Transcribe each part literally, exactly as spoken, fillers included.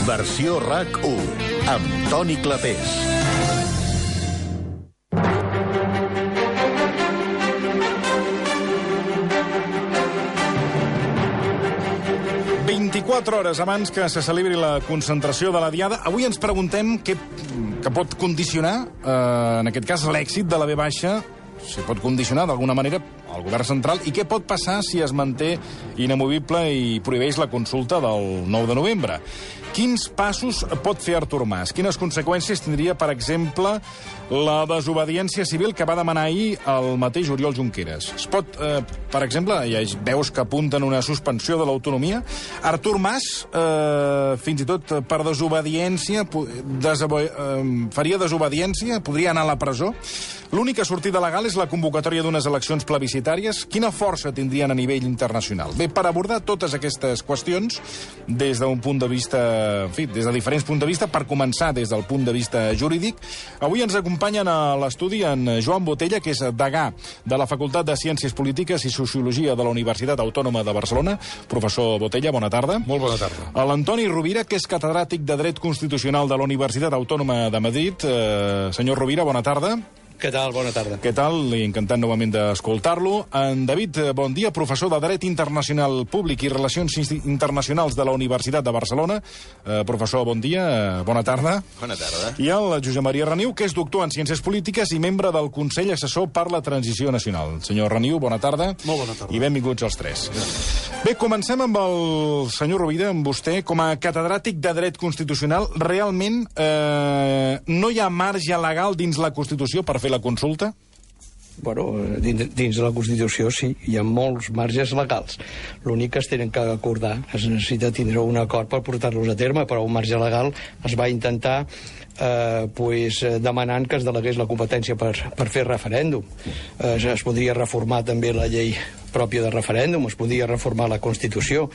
Versió RAC u, amb Toni Clapés. vint-i-quatre hores abans que se celebri la concentració de la Diada, avui ens preguntem què, què pot condicionar, eh, en aquest cas, l'èxit de la ve baixa, si pot condicionar d'alguna manera el govern central, i què pot passar si es manté inamovible i prohibeix la consulta del nou de novembre. Quins passos pot fer Artur Mas? Quines conseqüències tindria, per exemple, la desobediència civil que va demanar ahir el mateix Oriol Junqueras? Es pot, eh, per exemple, hi ha veus que apunten una suspensió de l'autonomia. Artur Mas, eh, fins i tot per desobediència, desabo eh, faria desobediència, podria anar a la presó. L'única sortida legal és la convocatòria d'unes eleccions plebiscitàries. Quina força tindrien a nivell internacional? Bé, per abordar totes aquestes qüestions des d'un punt de vista, en fi, des de diferents punts de vista, per començar des del punt de vista jurídic, avui ens acompanyen a l'estudi en Joan Botella, que és degà de la Facultat de Ciències Polítiques i Sociologia de la Universitat Autònoma de Barcelona. Professor Botella, bona tarda. Molt bona tarda. L'Antoni Rovira, que és catedràtic de Dret Constitucional de la Universitat Autònoma de Madrid. Eh, senyor Rovira, bona tarda. Què tal? Bona tarda. Què tal? I encantat novament d'escoltar-lo. En David, bon dia, professor de Dret Internacional Públic i Relacions Internacionals de la Universitat de Barcelona. Eh, professor, bon dia, bona tarda. Bona tarda. I el Josep Maria Reniu, que és doctor en Ciències Polítiques i membre del Consell Assessor per la Transició Nacional. Senyor Reniu, bona tarda. Molt bona tarda. I benvinguts els tres. Bé, comencem amb el senyor Rovira, amb vostè. Com a catedràtic de Dret Constitucional, realment eh, no hi ha marge legal dins la Constitució per fer la consulta? Bueno, dins, dins de la Constitució sí, hi ha molts marges legals. L'únic que es tenen que acordar, es necessita tindre un acord per portar-los a terme, però un marge legal es va intentar eh, pues, demanant que es delegués la competència per, per fer referèndum. Eh, es podria reformar també la llei pròpia de referèndum, es podria reformar la Constitució,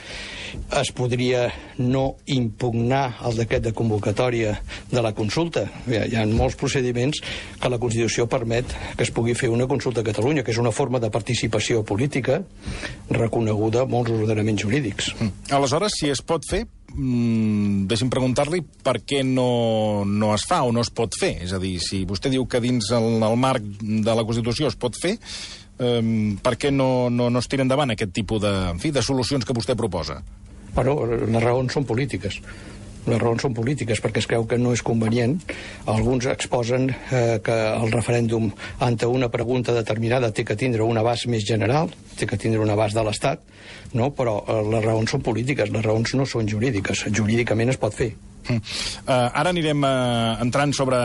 es podria no impugnar el decret de convocatòria de la consulta. Hi ha, hi ha molts procediments que la Constitució permet que es pugui fer una consulta a Catalunya, que és una forma de participació política reconeguda a molts ordenaments jurídics. Mm. Aleshores, si es pot fer, mm, deixi'm preguntar-li per què no, no es fa o no es pot fer. És a dir, si vostè diu que dins el, el marc de la Constitució es pot fer, Um, per què no, no, no es tira endavant aquest tipus de, en fi, de solucions que vostè proposa? Bueno, les raons són polítiques. Les raons són polítiques perquè es creu que no és convenient. Alguns exposen eh, que el referèndum ante una pregunta determinada té que tindre un abast més general, té que tindre un abast de l'Estat, no? Però eh, les raons són polítiques, les raons no són jurídiques. Jurídicament es pot fer. Uh, ara anirem uh, entrant sobre,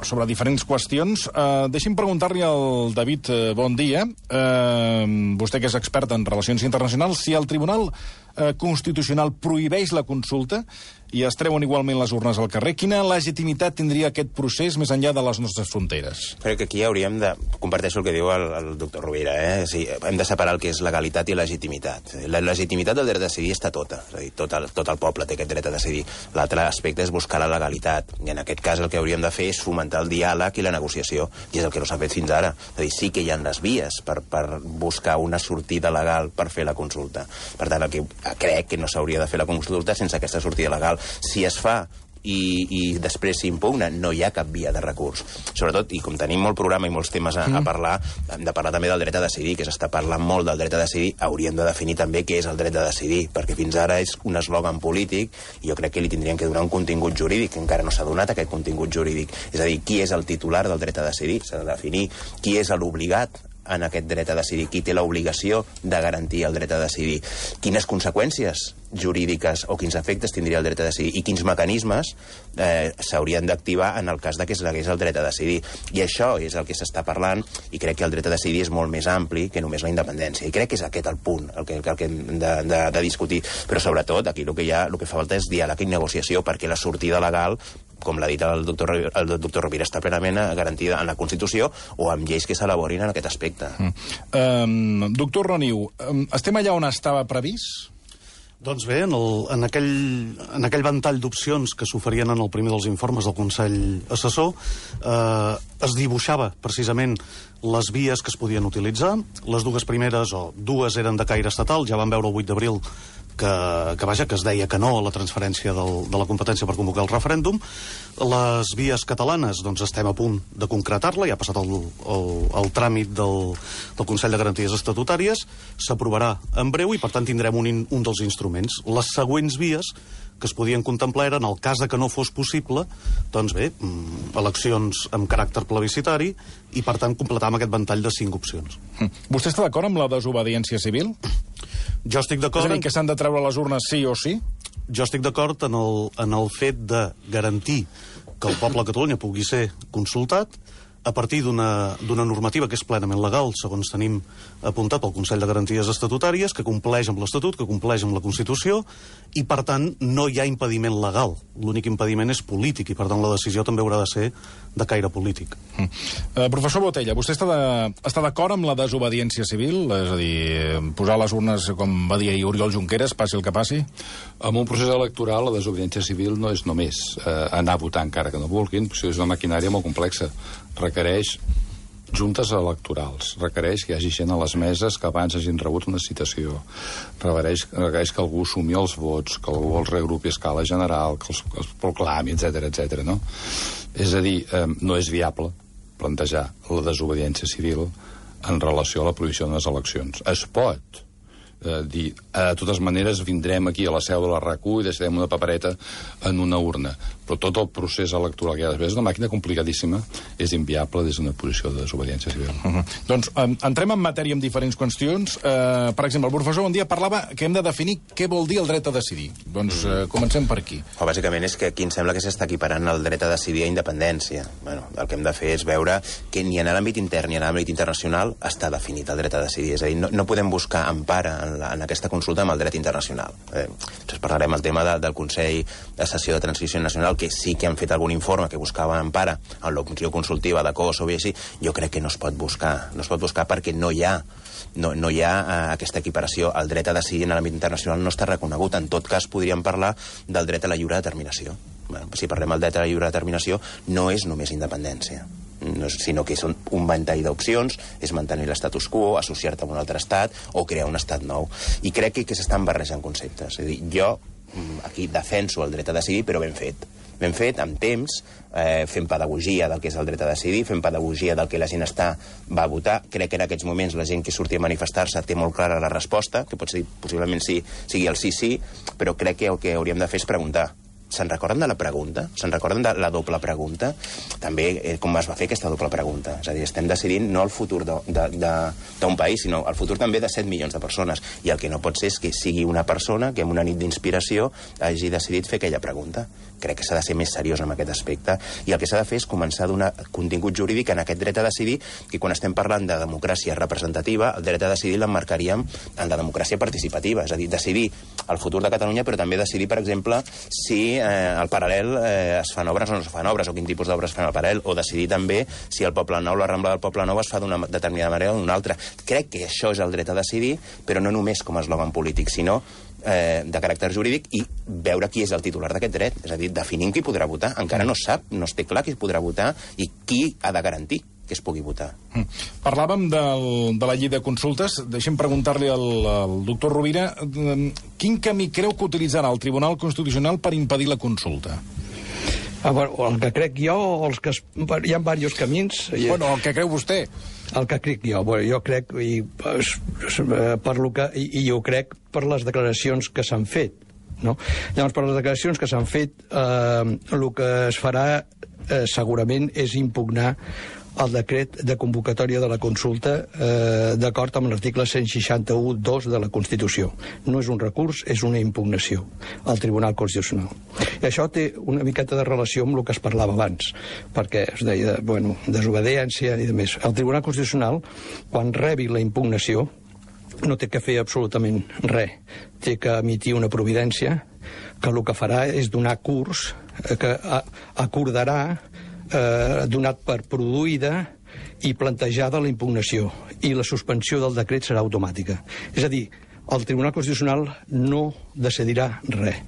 sobre diferents qüestions. Uh, deixi'm preguntar-li al David, uh, bon dia, uh, vostè que és expert en relacions internacionals, si el Tribunal uh, Constitucional prohibeix la consulta i es treuen igualment les urnes al carrer, quina legitimitat tindria aquest procés més enllà de les nostres fronteres? Crec que aquí hauríem de... Comparteixo el que diu el, el doctor Rovira, eh? O sigui, hem de separar el que és legalitat i legitimitat. La legitimitat del dret a decidir està tota. És a dir, tot el, tot el poble té aquest dret a decidir. L'altre aspecte és buscar la legalitat. I en aquest cas el que hauríem de fer és fomentar el diàleg i la negociació. I és el que no s'ha fet fins ara. És a dir, sí que hi ha les vies per, per buscar una sortida legal per fer la consulta. Per tant, el que crec que no s'hauria de fer la consulta sense aquesta sortida legal. Si es fa i, i després s'impugna, no hi ha cap via de recurs. Sobretot, i com tenim molt programa i molts temes a, a parlar, hem de parlar també del dret a decidir, que s'està parlant molt del dret a decidir, hauríem de definir també què és el dret a decidir, perquè fins ara és un eslògan polític i jo crec que li tindrien que donar un contingut jurídic, que encara no s'ha donat aquest contingut jurídic. És a dir, qui és el titular del dret a decidir? S'ha de definir qui és l'obligat en aquest dret a decidir, qui té l'obligació de garantir el dret a decidir, quines conseqüències jurídiques o quins efectes tindria el dret a decidir i quins mecanismes eh, s'haurien d'activar en el cas de que es negués el dret a decidir. I això és el que s'està parlant i crec que el dret a decidir és molt més ampli que només la independència. I crec que és aquest el punt el que, el que hem de, de, de discutir. Però sobretot aquí el que, hi ha, el que fa falta és diàleg i negociació perquè la sortida legal, com l'ha dit el doctor, el doctor Rovira, està plenament garantida en la Constitució o amb lleis que s'elaborin en aquest aspecte. Mm. Um, doctor Reniu, um, estem allà on estava previst? Doncs bé, en, el, en, aquell, en aquell ventall d'opcions que s'oferien en el primer dels informes del Consell Assessor, eh, es dibuixava precisament les vies que es podien utilitzar. Les dues primeres, o dues eren de caire estatal, ja vam veure el vuit d'abril que, que, vaja, que es deia que no a la transferència del, de la competència per convocar el referèndum. Les vies catalanes, doncs estem a punt de concretar-la, ja ha passat el, el, el tràmit del, del Consell de Garanties Estatutàries, s'aprovarà en breu i, per tant, tindrem un, un dels instruments. Les següents vies que es podien contemplar eren, en el cas de que no fos possible, doncs bé, eleccions amb caràcter plebiscitari i, per tant, completar amb aquest ventall de cinc opcions. Vostè està d'acord amb la desobediència civil? Jo estic d'acord... És a dir, que s'han de treure les urnes sí o sí? Jo estic d'acord en, el, en el fet de garantir que el poble de Catalunya pugui ser consultat a partir d'una normativa que és plenament legal, segons tenim apuntat pel Consell de Garanties Estatutàries, que compleix amb l'Estatut, que compleix amb la Constitució, i, per tant, no hi ha impediment legal. L'únic impediment és polític, i, per tant, la decisió també haurà de ser de caire polític. Mm. Uh, professor Botella, vostè està d'acord amb la desobediència civil? És a dir, posar les urnes, com va dir Oriol Junqueras, passi el que passi? En un procés electoral, la desobediència civil no és només eh, anar a votar encara que no vulguin, perquè és una maquinària molt complexa. Requereix juntes electorals, requereix que hi hagi gent a les meses que abans hagin rebut una citació, requereix, requereix que algú sumi els vots, que algú els regrupi a escala general, que els, que els proclami, etcètera, etcètera, no? És a dir, eh, no és viable plantejar la desobediència civil en relació a la prohibició d'unes eleccions. Es pot eh, dir, de totes maneres vindrem aquí a la seu de la R A C U i deixarem una papereta en una urna, però tot el procés electoral que hi ha després és una màquina complicadíssima, és inviable des d'una posició de desobediència civil. Uh -huh. Doncs um, entrem en matèria amb diferents qüestions. Uh, per exemple, el professor un dia parlava que hem de definir què vol dir el dret a decidir. Doncs uh, comencem per aquí. O, bàsicament és que aquí em sembla que s'està equiparant el dret a decidir a independència. Bueno, el que hem de fer és veure que ni en l'àmbit intern ni en l'àmbit internacional està definit el dret a decidir. És a dir, no, no podem buscar empara en, la, en aquesta consulta amb el dret internacional. Eh, després parlarem el tema de, del Consell de Sessió de Transició Nacional, que sí que han fet algun informe que buscava empara en l'opció consultiva de Kosovo i així. Jo crec que no es pot buscar, no es pot buscar perquè no hi ha no, no hi ha uh, aquesta equiparació. El dret a decidir en l'àmbit internacional no està reconegut. En tot cas, podríem parlar del dret a la lliure determinació. Bueno, si parlem del dret a la lliure determinació, no és només independència, no és, sinó que és un, un ventall d'opcions, és mantenir l'estatus quo, associar-te amb un altre estat o crear un estat nou. I crec que, que s'estan barrejant conceptes. És a dir, jo aquí defenso el dret a decidir, però ben fet. Ben fet, amb temps, eh, fent pedagogia del que és el dret a decidir, fent pedagogia del que la gent està, va a votar. Crec que en aquests moments la gent que surti a manifestar-se té molt clara la resposta, que pot ser, possiblement sí, sigui el sí, sí, però crec que el que hauríem de fer és preguntar. Se'n recorden de la pregunta? Se'n recorden de la doble pregunta? També eh, com es va fer aquesta doble pregunta. És a dir, estem decidint no el futur d'un país, sinó el futur també de set milions de persones. I el que no pot ser és que sigui una persona que en una nit d'inspiració hagi decidit fer aquella pregunta. Crec que s'ha de ser més seriós en aquest aspecte. I el que s'ha de fer és començar a donar contingut jurídic en aquest dret a decidir, que quan estem parlant de democràcia representativa, el dret a decidir l'emmarcaríem en la democràcia participativa. És a dir, decidir el futur de Catalunya, però també decidir, per exemple, si eh, al paral·lel eh, es fan obres o no es fan obres, o quin tipus d'obres fan al paral·lel, o decidir també si el Poble Nou, la Rambla del Poble Nou es fa d'una determinada manera o d'una altra. Crec que això és el dret a decidir, però no només com a eslògan polític, sinó eh, de caràcter jurídic, i veure qui és el titular d'aquest dret. És a dir, definim qui podrà votar. Encara no sap, no es té clar qui podrà votar i qui ha de garantir que es pugui votar. Mm. Parlàvem del, de la llei de consultes. Deixem preguntar-li al, al doctor Rovira quin camí creu que utilitzarà el Tribunal Constitucional per impedir la consulta? Ah, bueno, el que crec jo, o els que es, hi ha diversos camins. Bueno, el que creu vostè. El que crec jo, bueno, jo crec, i, per lo que, i, i jo crec per les declaracions que s'han fet, no? Llavors, per les declaracions que s'han fet, eh, el que es farà eh, segurament és impugnar el decret de convocatòria de la consulta eh, d'acord amb l'article cent seixanta-u punct dos de la Constitució. No és un recurs, és una impugnació al Tribunal Constitucional. I això té una miqueta de relació amb el que es parlava abans, perquè es deia, bueno, desobediència i de més. El Tribunal Constitucional, quan rebi la impugnació, no té que fer absolutament res. Té que emitir una providència que el que farà és donar curs, eh, que acordarà Eh, donat per produïda i plantejada la impugnació, i la suspensió del decret serà automàtica. És a dir, el Tribunal Constitucional no decidirà res.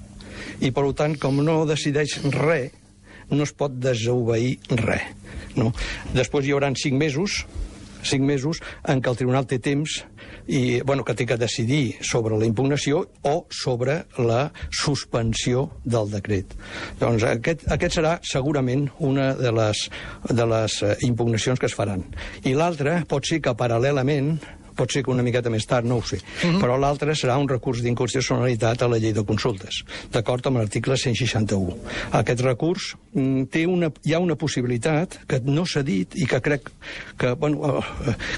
I, per tant, com no decideix res, no es pot desobeir res. No? Després hi haurà cinc mesos cinc mesos en què el tribunal té temps i, bueno, que té que decidir sobre la impugnació o sobre la suspensió del decret. Doncs aquest, aquest serà segurament una de les, de les impugnacions que es faran. I l'altra pot ser que paral·lelament, pot ser que una miqueta més tard, no ho sé, uh-huh. però l'altre serà un recurs d'inconstitucionalitat a la llei de consultes, d'acord amb l'article cent seixanta-u. Aquest recurs mm, té una, hi ha una possibilitat que no s'ha dit i que crec que, bueno,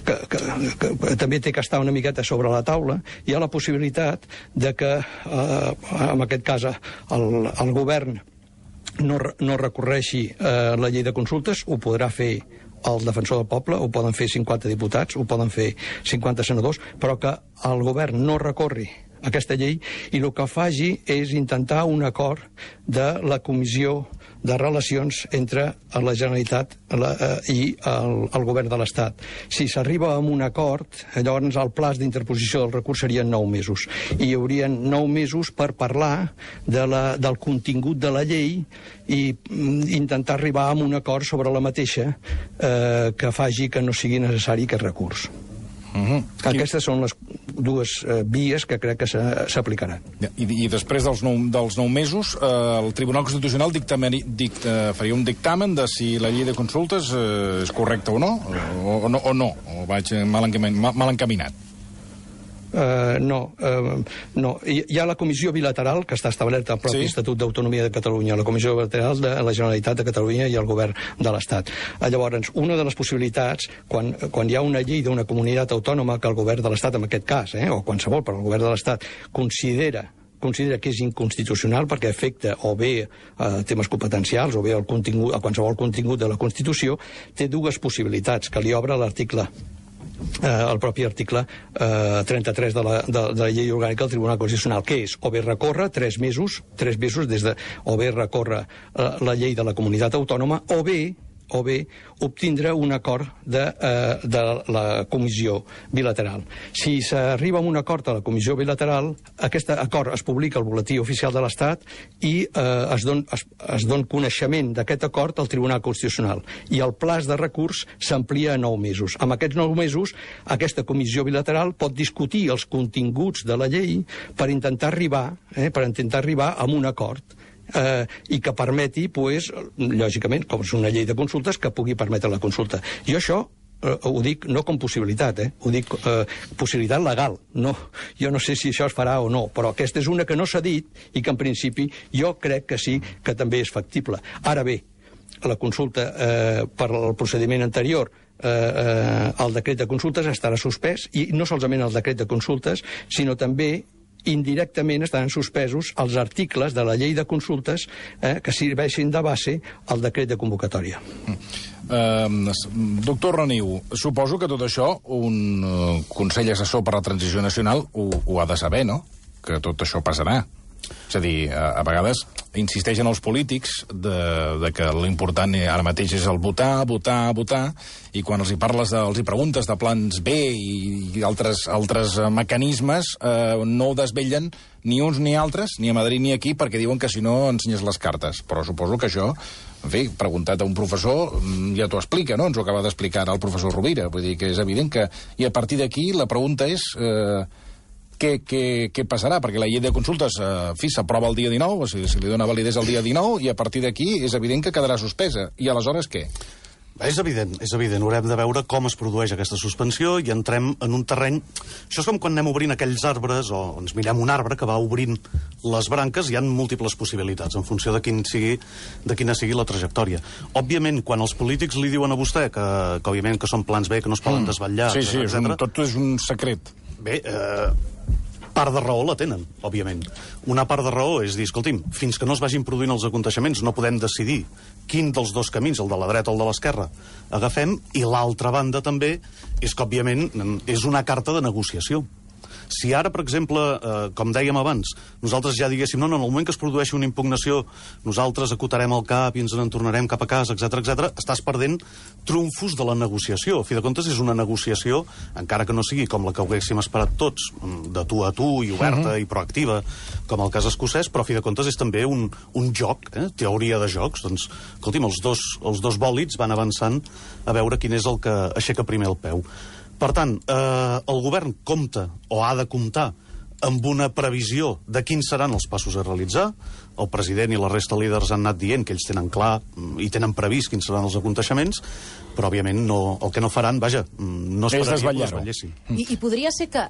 que, que, que, que també té que estar una miqueta sobre la taula. Hi ha la possibilitat de que, eh, en aquest cas, el, el govern no, no recorreixi eh, la llei de consultes, ho podrà fer el defensor del poble, ho poden fer cinquanta diputats, ho poden fer cinquanta senadors, però que el govern no recorri aquesta llei i el que faci és intentar un acord de la Comissió de Relacions entre la Generalitat la, eh, i el, el govern de l'Estat. Si s'arriba a un acord, llavors el plaç d'interposició del recurs serien nou mesos. I hi haurien nou mesos per parlar de la, del contingut de la llei i mm, intentar arribar a un acord sobre la mateixa eh, que faci que no sigui necessari aquest recurs. Uh-huh. Aquestes són les dues eh, vies que crec que s'aplicaran. I, I després dels nou, dels nou mesos, eh, el Tribunal Constitucional dictameni, dict, eh, faria un dictamen de si la llei de consultes eh, és correcta o no, o, o no, o no, o vaig mal, encamin, mal, mal encaminat. Uh, no, uh, no. Hi, hi ha la comissió bilateral que està establerta al propi sí. Estatut d'Autonomia de Catalunya, la comissió bilateral de la Generalitat de Catalunya i el govern de l'Estat. Uh, llavors, una de les possibilitats, quan, quan hi ha una llei d'una comunitat autònoma que el govern de l'Estat, en aquest cas, eh, o qualsevol, però el govern de l'Estat, considera considera que és inconstitucional perquè afecta o bé eh, temes competencials o bé el contingut, a qualsevol contingut de la Constitució, té dues possibilitats que li obre l'article Eh, el propi article eh, trenta-tres de la, de, de la llei orgànica del Tribunal Constitucional, que és o bé recórrer tres mesos, tres mesos des de, o bé recórrer eh, la llei de la comunitat autònoma, o bé o bé obtindre un acord de, eh, de la comissió bilateral. Si s'arriba a un acord a la comissió bilateral, aquest acord es publica al Boletí Oficial de l'Estat i eh, es, don, es, es don coneixement d'aquest acord al Tribunal Constitucional. I el plaç de recurs s'amplia a nou mesos. Amb aquests nou mesos, aquesta comissió bilateral pot discutir els continguts de la llei per intentar arribar, eh, per intentar arribar a un acord. Eh, i que permeti, pues, lògicament, com és una llei de consultes, que pugui permetre la consulta. Jo això eh, ho dic no com possibilitat, eh? Ho dic eh, possibilitat legal. No, jo no sé si això es farà o no, però aquesta és una que no s'ha dit i que en principi jo crec que sí que també és factible. Ara bé, la consulta eh, per al procediment anterior, eh, eh, el decret de consultes estarà suspès, i no solament el decret de consultes, sinó també indirectament estaran suspesos els articles de la llei de consultes eh, que serveixin de base al decret de convocatòria. Uh, doctor Reniu, suposo que tot això un uh, Consell Assessor per a la Transició Nacional ho, ho ha de saber, no? Que tot això passarà. És a dir, a, a vegades insisteixen els polítics de, de que l'important ara mateix és el votar, votar, votar, i quan els hi parles, de, els hi preguntes de plans B i, i altres, altres mecanismes, eh, no ho desvellen ni uns ni altres, ni a Madrid ni aquí, perquè diuen que si no ensenyes les cartes. Però suposo que això, en fi, preguntat a un professor, ja t'ho explica, no? Ens ho acaba d'explicar el professor Rovira. Vull dir que és evident que... I a partir d'aquí la pregunta és... Eh, Què, què, què passarà? Perquè la llei de consultes eh, fi, s'aprova el dia dinou, o sigui, se li dona validesa el dia dinou, i a partir d'aquí és evident que quedarà suspesa. I aleshores què? És evident, és evident. Haurem de veure com es produeix aquesta suspensió i entrem en un terreny... Això és com quan anem obrint aquells arbres, o ens mirem un arbre que va obrint les branques, hi ha múltiples possibilitats, en funció de, quin sigui, de quina sigui la trajectòria. Òbviament, quan els polítics li diuen a vostè que, que òbviament, que són plans B, que no es poden mm. desvetllar, sí, sí, és un, tot és un secret. Bé, eh, part de raó la tenen, òbviament. Una part de raó és dir, escolti'm, fins que no es vagin produint els aconteixements no podem decidir quin dels dos camins, el de la dreta o el de l'esquerra, agafem, i l'altra banda també és que, òbviament, és una carta de negociació. Si ara, per exemple, eh, com dèiem abans, nosaltres ja diguéssim, no, no, en el moment que es produeixi una impugnació, nosaltres acotarem el cap i ens en tornarem cap a casa, etcètera, etcètera, estàs perdent trumfos de la negociació. A fi de comptes, és una negociació, encara que no sigui com la que haguéssim esperat tots, de tu a tu i oberta uh-huh. i proactiva, com el cas escocès, però a fi de comptes és també un, un joc, eh? teoria de jocs. Doncs, escolti'm, els dos, els dos bòlids van avançant a veure quin és el que aixeca primer el peu. Per tant, eh, el govern compta, o ha de comptar, amb una previsió de quins seran els passos a realitzar. El president i la resta de líders han anat dient que ells tenen clar i tenen previst quins seran els aconteixements, però, òbviament, no, el que no faran, vaja, no esperaria que ho desvetllessin. I, I podria ser que,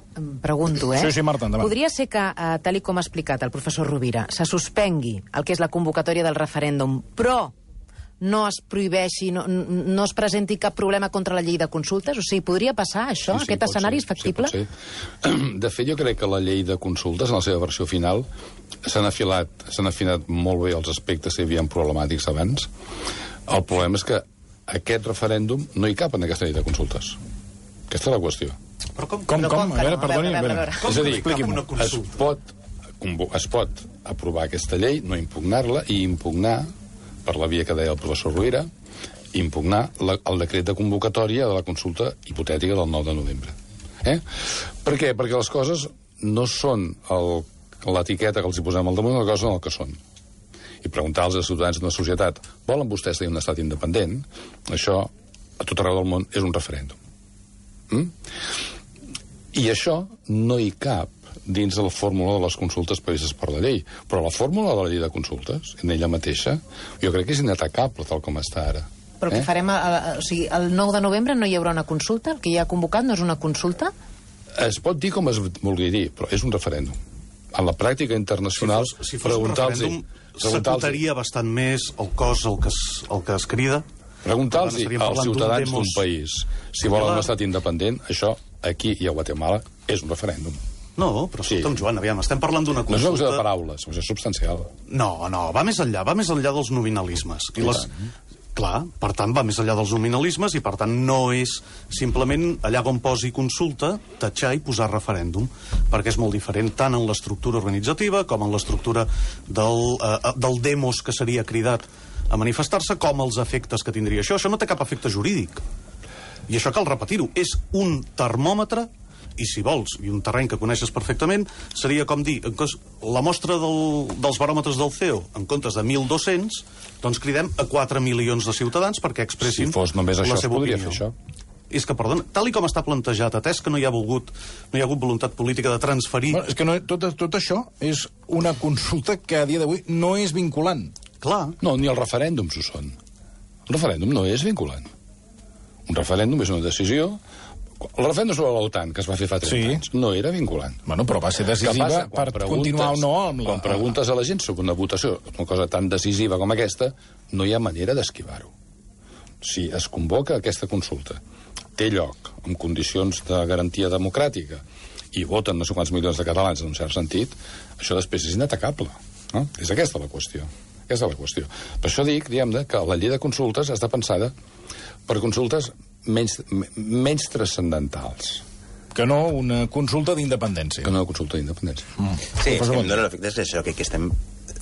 pregunto, eh? Sí, sí, Marta, endavant. Podria ser que, eh, tal i com ha explicat el professor Rovira, se suspengui el que és la convocatòria del referèndum, però no es prohibeixi, no, no es presenti cap problema contra la llei de consultes? O sigui, podria passar això? Sí, sí, Aquest escenari és factible? Sí, de fet, jo crec que la llei de consultes, en la seva versió final, s'han afilat, s'han afinat molt bé els aspectes que hi havia problemàtics abans. El problema és que aquest referèndum no hi cap en aquesta llei de consultes. Aquesta és la qüestió. Però com? Com, com? A veure, A perdoni, veure, a a veure, a veure. veure. És a dir, Com una es consulta? pot, es pot aprovar aquesta llei, no impugnar-la, i impugnar, per la via que deia el professor Rovira, impugnar la, el decret de convocatòria de la consulta hipotètica del nou de novembre. Eh? Per què? Perquè les coses no són l'etiqueta que els hi posem al damunt, les coses són el que són. I preguntar als ciutadans d'una societat, volen vostès tenir un estat independent? Això, a tot arreu del món, és un referèndum. Mm? I això no hi cap dins de la fórmula de les consultes previstes per la llei. Però la fórmula de la llei de consultes, en ella mateixa, jo crec que és inatacable tal com està ara. Però què eh? farem? A, a, o sigui, el nou de novembre no hi haurà una consulta? El que hi ha convocat no és una consulta? Es pot dir com es vulgui dir, però és un referèndum. En la pràctica internacional, Si fos, si fos un referèndum, s'acotaria bastant més el cos el que es, el que es crida. Preguntar-los Estaríem als parlant d'un ciutadans demos d'un país si volen un estat independent, això aquí i a Guatemala és un referèndum. No, però Sí. escolta'm, Joan, aviam, estem parlant d'una No és una qüestió consulta... de paraules, és substancial. No, no, va més enllà, va més enllà dels nominalismes. I les... Clar, per tant, va més enllà dels nominalismes i, per tant, no és simplement allà on posi consulta, tatxar i posar referèndum, perquè és molt diferent tant en l'estructura organitzativa com en l'estructura del, eh, del demos que seria cridat a manifestar-se, com els efectes que tindria això. Això no té cap efecte jurídic. I això cal repetir-ho. És un termòmetre, i si vols, i un terreny que coneixes perfectament, seria com dir, la mostra del, dels baròmetres del C E O, en comptes de mil dos-cents, doncs cridem a quatre milions de ciutadans perquè expressin Si fos només això, la es seva podria opinió. fer això. És que, perdona, tal i com està plantejat, atès que no hi ha volgut, no hi ha hagut voluntat política de transferir... Bueno, és que no, tot, tot això és una consulta que a dia d'avui no és vinculant. Clar, No, ni els referèndums ho són. El referèndum no és vinculant. Un referèndum és una decisió. El referèndum sobre l'OTAN, que es va fer fa trenta Sí. anys, no era vinculant. Bueno, però va ser Què decisiva passa? per Quan continuar o no amb la... Quan preguntes a la gent sobre una votació, una cosa tan decisiva com aquesta, no hi ha manera d'esquivar-ho. Si es convoca aquesta consulta, té lloc en condicions de garantia democràtica i voten no sé quants milions de catalans en un cert sentit, això després és inatacable. No? És aquesta la qüestió. Aquesta és la qüestió. Per això dic, diguem-ne, que la llei de consultes està pensada per consultes menys, menys transcendentals Que no una consulta d'independència. que no una consulta d'independència. Mm. Sí, és que em dóna l'efecte és això, que aquí estem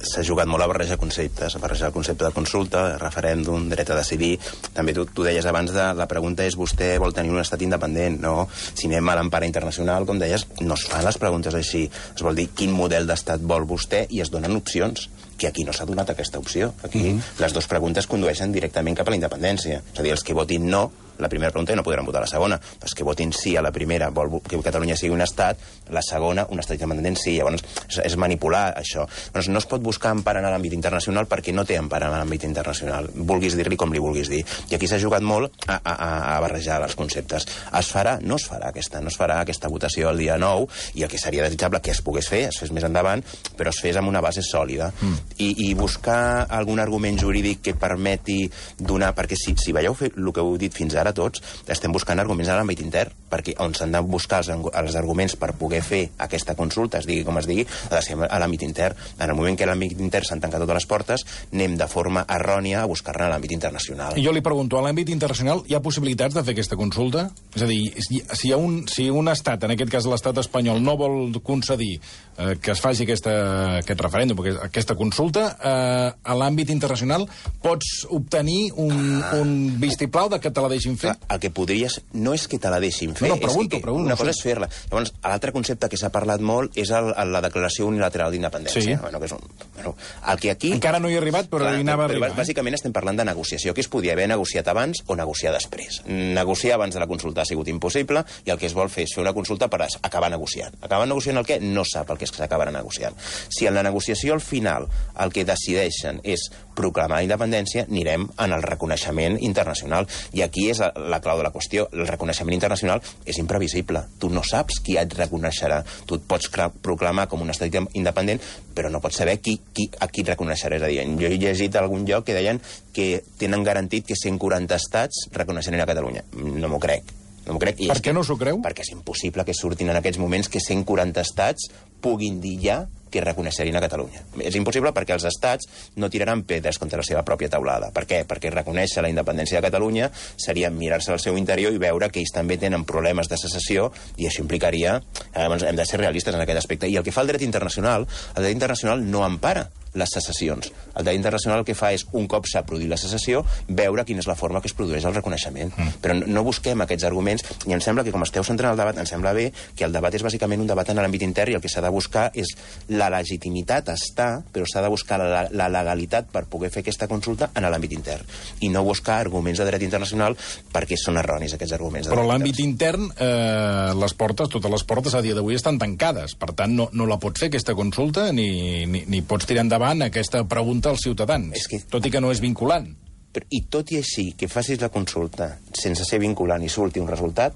s'ha jugat molt a barrejar conceptes, a barrejar el concepte de consulta, referèndum, dret a decidir. També tu, tu deies abans de la pregunta és vostè vol tenir un estat independent, no? Si anem a l'empara internacional, com deies, no es fan les preguntes així. Es vol dir quin model d'estat vol vostè i es donen opcions, que aquí no s'ha donat aquesta opció. Aquí mm-hmm. les dues preguntes condueixen directament cap a la independència. És a dir, els que votin no, la primera pregunta no podran votar la segona. Els que votin sí a la primera, vol que Catalunya sigui un estat, la segona, un estat independent sí. Llavors, és, és manipular això. Llavors, no es pot buscar empara en l'àmbit internacional perquè no té empara en l'àmbit internacional. Vulguis dir-li com li vulguis dir. I aquí s'ha jugat molt a, a, a barrejar els conceptes. Es farà? No es farà aquesta. No es farà aquesta votació el dia nou i el que seria desitjable que es pogués fer, es fes més endavant, però es fes amb una base sòlida. Mm. I, I buscar algun argument jurídic que permeti donar... Perquè si, si veieu fer el que heu dit fins ara, ara tots estem buscant arguments a l'àmbit intern, perquè on s'han de buscar els, els arguments per poder fer aquesta consulta, es digui com es digui, ha de ser a l'àmbit intern. En el moment que a l'àmbit intern s'han tancat totes les portes, anem de forma errònia a buscar-ne a l'àmbit internacional. I jo li pregunto, a l'àmbit internacional hi ha possibilitats de fer aquesta consulta? És a dir, si hi ha un, si un estat, en aquest cas l'estat espanyol, no vol concedir eh, que es faci aquesta, aquest referèndum, aquesta consulta, eh, a l'àmbit internacional pots obtenir un, ah. un vistiplau de que te la deixin fer? El que podries... No és que te la deixin fer, no, no, pregunto, és que, pregunto, una cosa sí. és fer-la. Llavors, l'altre concepte que s'ha parlat molt és el, el, la declaració unilateral d'independència. Sí. Bueno, que és un, bueno, el que aquí... Encara no hi ha arribat, però clar, hi anava però, a arribar. Però, bàsicament estem parlant de negociació, que es podia haver negociat abans o negociar després. Negociar abans de la consulta ha sigut impossible i el que es vol fer és fer una consulta per acabar negociant. Acabar negociant el què? No sap el que és que s'acabarà negociant. Si en la negociació al final el que decideixen és proclamar la independència, anirem en el reconeixement internacional. I aquí és la clau de la qüestió. El reconeixement internacional és imprevisible. Tu no saps qui et reconeixerà. Tu et pots proclamar com un estat independent, però no pots saber qui, qui, a qui et reconeixerà. És a dir, jo he llegit a algun lloc que deien que tenen garantit que cent quaranta estats reconeixeran a Catalunya. No m'ho crec. No m'ho crec. I per què que, no s'ho creu? Perquè és impossible que surtin en aquests moments que cent quaranta estats puguin dir ja que reconeixerien a Catalunya. És impossible perquè els estats no tiraran pedres contra la seva pròpia taulada. Per què? Perquè reconèixer la independència de Catalunya seria mirar-se al seu interior i veure que ells també tenen problemes de secessió i això implicaria... Llavors, hem de ser realistes en aquest aspecte. I el que fa el dret internacional, el dret internacional no empara les secessions. El dret internacional el que fa és, un cop s'ha produït la secessió, veure quina és la forma que es produeix el reconeixement. Mm. Però no, no busquem aquests arguments, i em sembla que, com esteu centrant el debat, em sembla bé que el debat és bàsicament un debat en l'àmbit intern i el que s'ha de buscar és la legitimitat està, però s'ha de buscar la, la legalitat per poder fer aquesta consulta en l'àmbit intern. I no buscar arguments de dret internacional perquè són erronis aquests arguments. Però l'àmbit intern, eh, les portes, totes les portes a dia d'avui estan tancades. Per tant, no, no la pots fer aquesta consulta ni, ni, ni pots tirar endavant aquesta pregunta als ciutadans, és que... tot i que no és vinculant. Però, i tot i així, que facis la consulta sense ser vinculant i surti un resultat,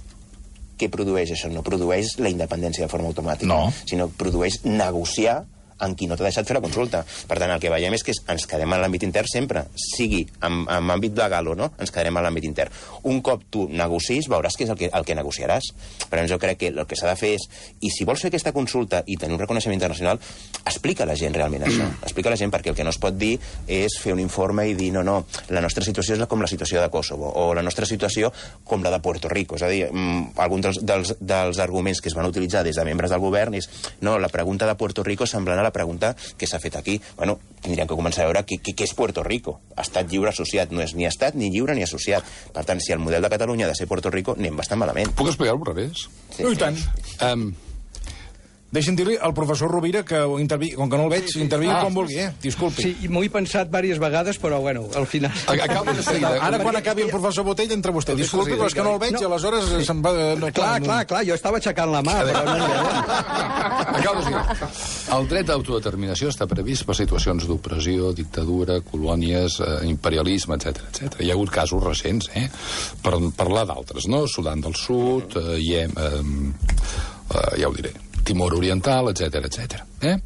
què produeix això? No produeix la independència de forma automàtica, no. Sinó produeix negociar amb qui no t'ha deixat fer la consulta. Per tant, el que veiem és que ens quedem en l'àmbit intern sempre, sigui en, en àmbit legal o no, ens quedarem en l'àmbit intern. Un cop tu negocis, veuràs què és el que, el que negociaràs. Però jo crec que el que s'ha de fer és, i si vols fer aquesta consulta i tenir un reconeixement internacional, explica a la gent realment això. Explica a la gent, perquè el que no es pot dir és fer un informe i dir, no, no, la nostra situació és com la situació de Kosovo, o la nostra situació com la de Puerto Rico. És a dir, alguns dels, dels, dels arguments que es van utilitzar des de membres del govern és, no, la pregunta de Puerto Rico semblant a la pregunta que s'ha fet aquí. Bueno, tindríem que començar a veure què, què, què és Puerto Rico. Estat lliure associat no és ni estat, ni lliure, ni associat. Per tant, si el model de Catalunya ha de ser Puerto Rico, anem bastant malament. Puc explicar-ho al revés? Sí. No, i tant. Um, Deixi'm dir-li al professor Rovira que intervingui, com que no el veig, intervingui ah, quan vulgui, eh? Disculpi. Sí, m'ho he pensat diverses vegades, però, bueno, al final... Acaba de seguida. Ara, quan acabi el professor Botell, entra vostè. Disculpi, però és que no el veig, no. I aleshores sí. se'n va... No, clar, clar, clar, clar, jo estava aixecant la mà, però no... Acaba de seguida. El dret d'autodeterminació està previst per situacions d'opressió, dictadura, colònies, eh, imperialisme, etcètera, etcètera. Hi ha hagut casos recents, eh? Per parlar d'altres, no? Sudan del Sud, eh, Iem, eh, eh, ja ho diré, Timor Oriental, etcètera, etcètera. Eh?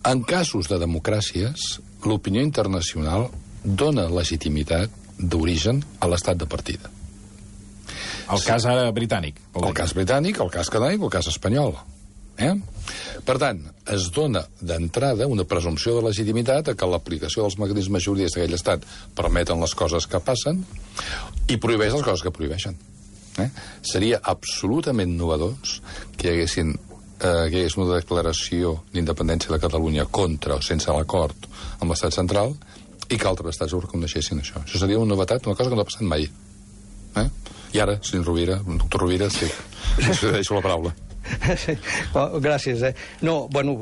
En casos de democràcies, l'opinió internacional dona legitimitat d'origen a l'estat de partida. El cas ara britànic. El cas britànic, el cas canàdic, el cas espanyol. Eh? Per tant, es dona d'entrada una presumpció de legitimitat a que l'aplicació dels mecanismes jurídics d'aquell estat permeten les coses que passen i prohibeix les coses que prohibeixen. Eh? Seria absolutament novedós que hi haguessin eh, que hi hagués una declaració d'independència de Catalunya contra o sense l'acord amb l'estat central i que altres estats ho reconeixessin això. Això seria una novetat, una cosa que no ha passat mai. Eh? I ara, senyor Rovira, doctor Rovira, sí, us deixo la paraula. Sí. Oh, gràcies, eh? No, bueno,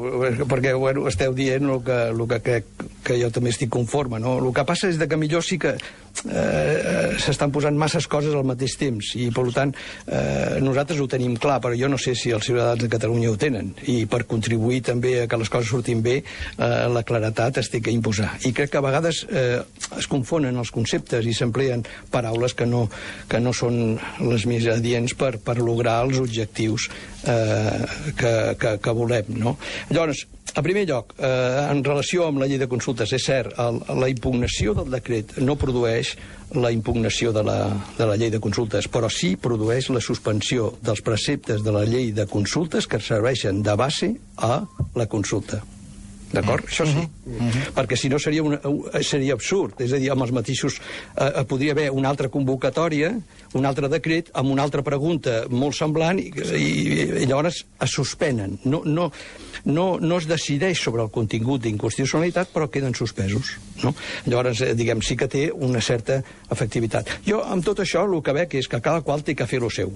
perquè bueno, esteu dient el que, el que crec que jo també estic conforme, no? El que passa és que millor sí que eh, s'estan posant masses coses al mateix temps i, per tant, eh, nosaltres ho tenim clar, però jo no sé si els ciutadans de Catalunya ho tenen i per contribuir també a que les coses surtin bé eh, la claretat es té que imposar. I crec que a vegades eh, es confonen els conceptes i s'empleen paraules que no, que no són les més adients per, per lograr els objectius eh, que, que, que volem, no? Llavors, En primer lloc, eh, en relació amb la llei de consultes, és cert, el, la impugnació del decret no produeix la impugnació de la, de la llei de consultes, però sí produeix la suspensió dels preceptes de la llei de consultes que serveixen de base a la consulta. D'acord? Això sí. Uh-huh. Perquè si no seria, una, seria absurd. És a dir, amb els mateixos... Eh, podria haver una altra convocatòria, un altre decret, amb una altra pregunta molt semblant, i, i, i llavors es suspenen. No, no, no, no es decideix sobre el contingut d'inconstitucionalitat, però queden suspesos. No? Llavors, eh, diguem, sí que té una certa efectivitat. Jo, amb tot això, el que veig és que cada qual té que fer lo seu.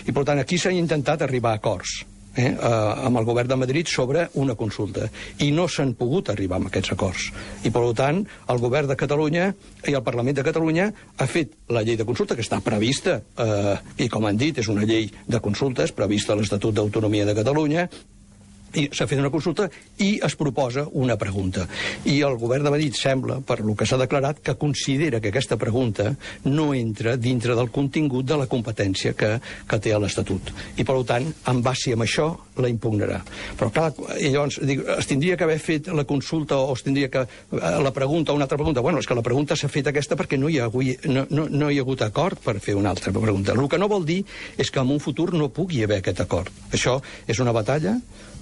I, per tant, aquí s'ha intentat arribar a acords. Eh, eh, amb el govern de Madrid sobre una consulta i no s'han pogut arribar a aquests acords i per tant el govern de Catalunya i el Parlament de Catalunya ha fet la llei de consulta que està prevista eh, i com han dit és una llei de consultes prevista a l'Estatut d'Autonomia de Catalunya i s'ha fet una consulta i es proposa una pregunta. I el govern de Madrid sembla, per lo que s'ha declarat, que considera que aquesta pregunta no entra dintre del contingut de la competència que, que té a l'Estatut. I, per tant, en base amb això, la impugnarà. Però, clar, i llavors, dic, es tindria que haver fet la consulta o es tindria que... la pregunta o una altra pregunta. Bueno, és que la pregunta s'ha fet aquesta perquè no hi ha, no, no, no hi ha hagut acord per fer una altra pregunta. El que no vol dir és que en un futur no pugui haver aquest acord. Això és una batalla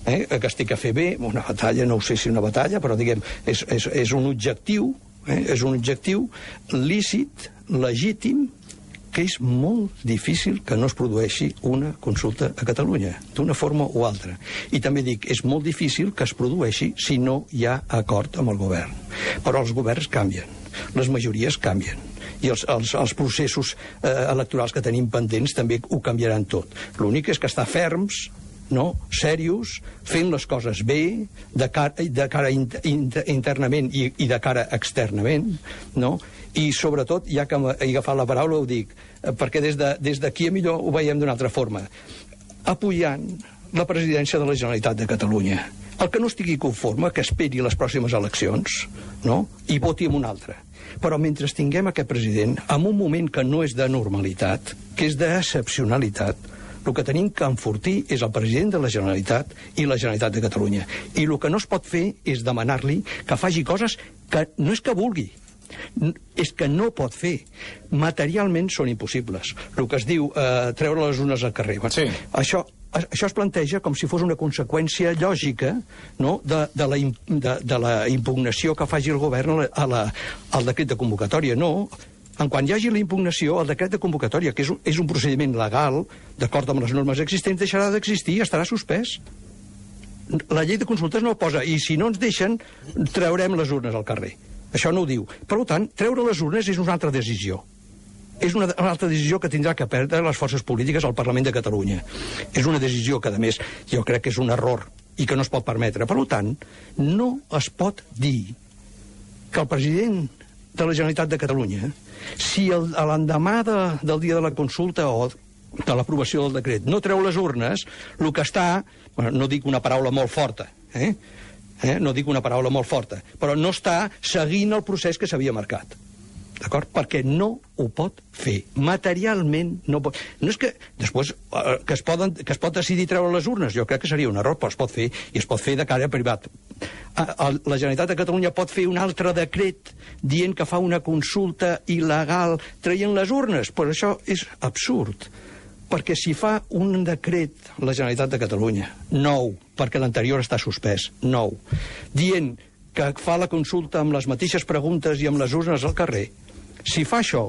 Eh, que es té que fer bé, una batalla, no ho sé si una batalla, però diguem, és, és, és un objectiu, eh, és un objectiu lícit, legítim, que és molt difícil que no es produeixi una consulta a Catalunya, d'una forma o altra. I també dic, és molt difícil que es produeixi si no hi ha acord amb el govern. Però els governs canvien, les majories canvien, i els, els, els processos eh, electorals que tenim pendents també ho canviaran tot. L'únic és que estar ferms, no, serios, fent les coses bé, de cara, de cara inter, inter, internament i, i de cara externament, no? I sobretot, ja que he agafat la paraula, ho dic, perquè des d'aquí de, des a millor ho veiem d'una altra forma, apoyant la presidència de la Generalitat de Catalunya. El que no estigui conforme, que esperi les pròximes eleccions, no? I voti amb un altre. Però mentre tinguem aquest president, en un moment que no és de normalitat, que és d'excepcionalitat, el que tenim que enfortir és el president de la Generalitat i la Generalitat de Catalunya. I el que no es pot fer és demanar-li que faci coses que no és que vulgui, és que no pot fer. Materialment són impossibles. El que es diu eh, treure les urnes al carrer. Sí. Això, això es planteja com si fos una conseqüència lògica, no?, de, de, la, de, de la impugnació que faci el govern a la, a la, al decret de convocatòria. No. En quan hi hagi la impugnació, el decret de convocatòria, que és un, és un procediment legal, d'acord amb les normes existents, deixarà d'existir i estarà suspès. La llei de consultes no ho posa, i si no ens deixen, traurem les urnes al carrer. Això no ho diu. Per tant, treure les urnes és una altra decisió. És una, una altra decisió que tindrà que prendre les forces polítiques al Parlament de Catalunya. És una decisió que, a més, jo crec que és un error i que no es pot permetre. Per tant, no es pot dir que el president de la Generalitat de Catalunya, si l'endemà de, del dia de la consulta o de l'aprovació del decret no treu les urnes, el que està, bueno, no dic una paraula molt forta, eh? Eh? no dic una paraula molt forta, però no està seguint el procés que s'havia marcat. D'acord? Perquè no ho pot fer. Materialment no pot... No és que després eh, que, es poden, que es pot decidir treure les urnes, jo crec que seria un error, però es pot fer, i es pot fer de cara privat. La Generalitat de Catalunya pot fer un altre decret dient que fa una consulta il·legal traient les urnes, però això és absurd. Perquè si fa un decret la Generalitat de Catalunya, nou, perquè l'anterior està suspès, nou, dient que fa la consulta amb les mateixes preguntes i amb les urnes al carrer, si fa això,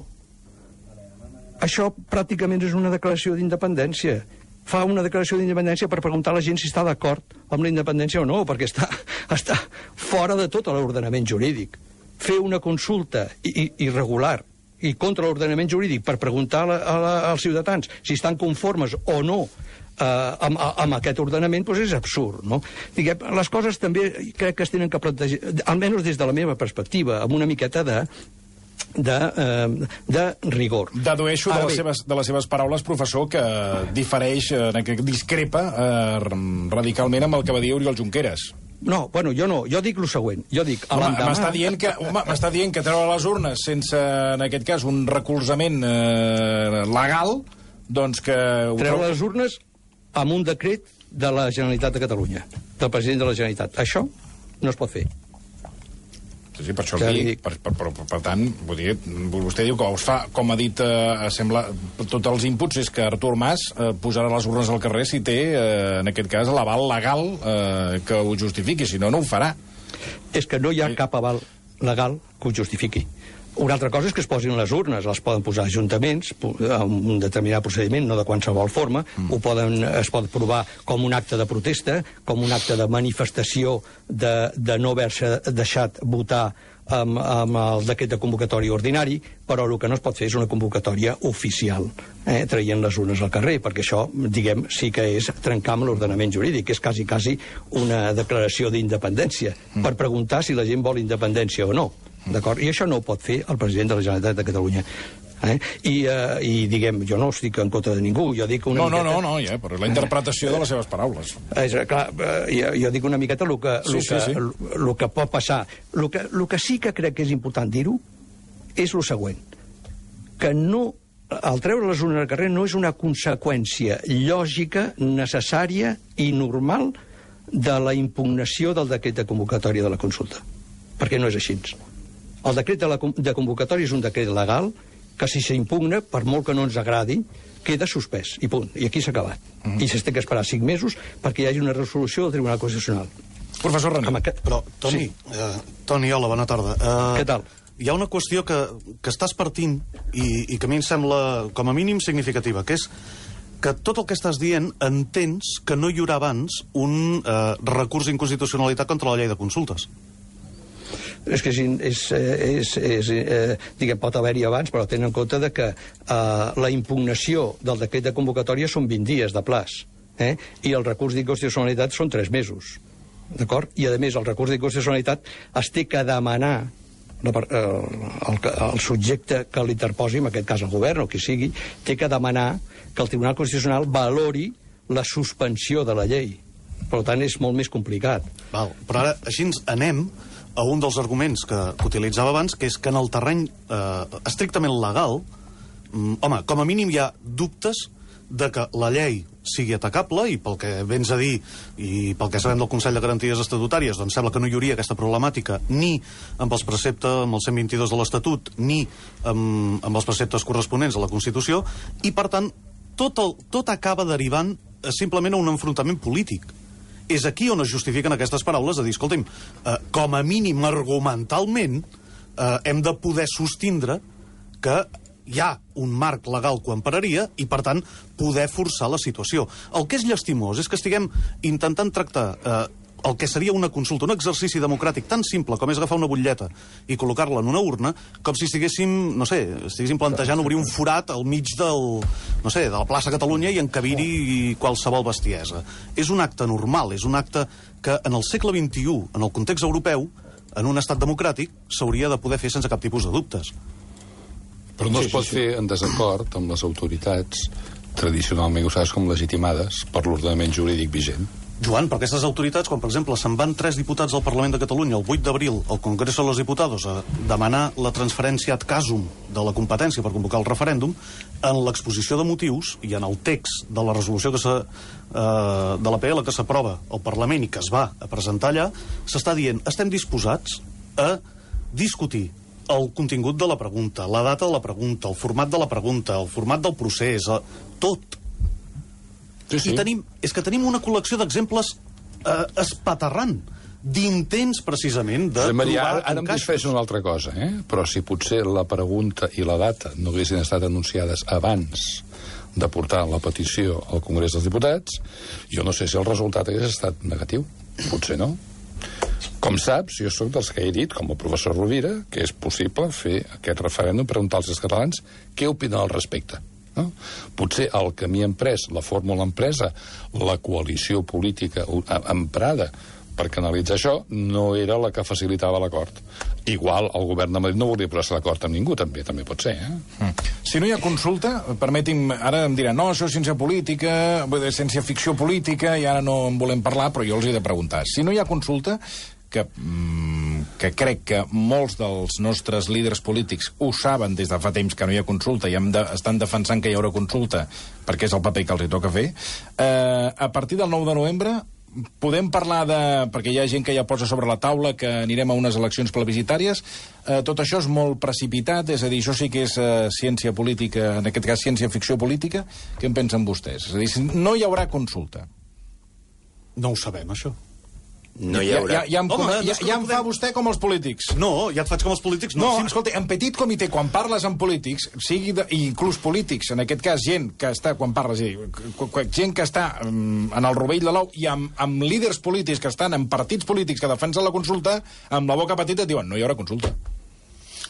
això pràcticament és una declaració d'independència. Fa una declaració d'independència per preguntar a la gent si està d'acord amb la independència o no, perquè està, està fora de tot l'ordenament jurídic. Fer una consulta irregular i contra l'ordenament jurídic per preguntar a la, a la, als ciutadans si estan conformes o no eh, amb, amb aquest ordenament, doncs és absurd, no? Diguem, les coses també crec que es tenen que plantejar, almenys des de la meva perspectiva, amb una miqueta de De, eh, de rigor. Dedueixo de les, seves, de les seves paraules, professor, que difereix, eh, que discrepa eh, radicalment amb el que va dir Oriol Junqueras. No, bueno, jo no, jo dic el següent. Jo dic, m'està dient que, m'està dient que treure les urnes sense, en aquest cas, un recolzament eh, legal, doncs que... Treure les urnes amb un decret de la Generalitat de Catalunya, del president de la Generalitat. Això no es pot fer. Sí, sí, per això ja dic, per, per, per, per tant, vull dir, vostè diu que us fa, com ha dit, eh, sembla, tots els inputs és que Artur Mas eh, posarà les urnes al carrer si té, eh, en aquest cas, l'aval legal eh, que ho justifiqui, si no, no ho farà. És que no hi ha cap aval legal que ho justifiqui. Una altra cosa és que es posin les urnes, les poden posar ajuntaments, amb un determinat procediment, no de qualsevol forma, mm. ho poden, es pot provar com un acte de protesta, com un acte de manifestació de, de no haver-se deixat votar amb, amb el decret de convocatòria ordinari, però el que no es pot fer és una convocatòria oficial, eh, traient les urnes al carrer, perquè això, diguem, sí que és trencar amb l'ordenament jurídic, és quasi, quasi una declaració d'independència, mm. per preguntar si la gent vol independència o no. D'acord? I això no ho pot fer el president de la Generalitat de Catalunya. Eh? I, uh, I, diguem, jo no estic en contra de ningú, jo dic una no, miqueta... No, no, no, ja, però la interpretació de les seves paraules. És clar, uh, jo, jo dic una miqueta el que, sí, el sí, que, sí. el, el que pot passar. El que, el que sí que crec que és important dir-ho és el següent, que no, el treure les urnes al carrer no és una conseqüència lògica, necessària i normal de la impugnació del decret de convocatòria de la consulta, perquè no és així. El decret de, la, de convocatòria és un decret legal que si s'impugna, per molt que no ens agradi, queda suspès, i punt. I aquí s'ha acabat. Uh -huh. I s'ha que esperar cinc mesos perquè hi hagi una resolució del Tribunal Constitucional. Professor René. Aquest... Però, Toni, sí. eh, Toni, hola, bona tarda. Eh, Què tal? Hi ha una qüestió que, que estàs partint i, i que a mi em sembla, com a mínim, significativa, que és que tot el que estàs dient entens que no hi haurà abans un eh, recurs d'inconstitucionalitat contra la llei de consultes. És que és, és, és, és eh, diguem, pot haver-hi abans, però tenen en compte de que eh, la impugnació del decret de convocatòria són vint dies de plaç, eh? I el recurs d'inconstitucionalitat són tres mesos, d'acord? I, a més, el recurs d'inconstitucionalitat es té que demanar la, el, el, el subjecte que l'interposi, en aquest cas el govern o qui sigui, té que demanar que el Tribunal Constitucional valori la suspensió de la llei. Per tant, és molt més complicat. Val, però ara, així ens anem a un dels arguments que, que utilitzava abans, que és que en el terreny eh, estrictament legal, mm, home, com a mínim hi ha dubtes de que la llei sigui atacable, i pel que vens a dir i pel que sabem del Consell de Garanties Estatutàries, doncs sembla que no hi hauria aquesta problemàtica ni amb els preceptes, amb el cent vint-i-dos de l'Estatut, ni amb, amb els preceptes corresponents a la Constitució, i per tant tot, el, tot acaba derivant eh, simplement a un enfrontament polític. És aquí on es justifiquen aquestes paraules de dir, escolta'm, eh, com a mínim argumentalment eh, hem de poder sostindre que hi ha un marc legal que ho empararia i, per tant, poder forçar la situació. El que és llastimós és que estiguem intentant tractar eh, el que seria una consulta, un exercici democràtic tan simple com és agafar una butlleta i col·locar-la en una urna, com si estiguéssim, no sé, estiguéssim plantejant obrir un forat al mig del, no sé, de la plaça Catalunya i encabir-hi qualsevol bestiesa. És un acte normal, és un acte que en el segle vint-i-u, en el context europeu, en un estat democràtic, s'hauria de poder fer sense cap tipus de dubtes. Però no sí, es pot sí, sí. fer en desacord amb les autoritats tradicionalment usades com legitimades per l'ordenament jurídic vigent. Joan, per aquestes autoritats, quan, per exemple, se'n van tres diputats del Parlament de Catalunya el vuit d'abril al Congreso de los Diputados a demanar la transferència ad casum de la competència per convocar el referèndum, en l'exposició de motius i en el text de la resolució que se, eh, de l'A P L que s'aprova al Parlament i que es va a presentar allà, s'està dient, estem disposats a discutir el contingut de la pregunta, la data de la pregunta, el format de la pregunta, el format del procés, tot. Sí, sí. I tenim, és que tenim una col·lecció d'exemples eh, espaterrant, d'intents, precisament, de Maria, trobar ara, ara em disfreix una altra cosa, eh? Però si potser la pregunta i la data no haguessin estat anunciades abans de portar la petició al Congrés dels Diputats, jo no sé si el resultat hagués estat negatiu. Potser no. Com saps, jo sóc dels que he dit, com el professor Rovira, que és possible fer aquest referèndum, preguntar als catalans què opinen al respecte. No? Potser el camí emprès, la fórmula empresa, la coalició política emprada per canalitzar això, no era la que facilitava l'acord. Igual el govern de Madrid no volia posar-se d'acord amb ningú, també també pot ser. Eh? Mm. Si no hi ha consulta, permeti'm, ara em diran, no, això és ciència política, ciència ficció política, i ara no en volem parlar, però jo els he de preguntar. Si no hi ha consulta, que... Mm, que crec que molts dels nostres líders polítics ho saben des de fa temps que no hi ha consulta i hem de, estan defensant que hi haurà consulta perquè és el paper que els hi toca fer, eh, a partir del nou de novembre podem parlar de... perquè hi ha gent que ja posa sobre la taula que anirem a unes eleccions plebiscitàries. Eh, tot això és molt precipitat, és a dir, això sí que és eh, ciència política, en aquest cas ciència-ficció política. Què en pensen vostès? És a dir, no hi haurà consulta. No ho sabem, això. No hi haurà... Ja, ja, ja, em, Home, ja, ja em fa vostè com els polítics. No, ja et faig com els polítics. No, No, no escolta, en petit comitè, quan parles amb polítics, sigui de, inclús polítics, en aquest cas gent que està, quan parles, gent que està um, en el rovell de l'ou, i amb, amb líders polítics que estan en partits polítics que defensen la consulta, amb la boca petita et diuen, no hi haurà consulta.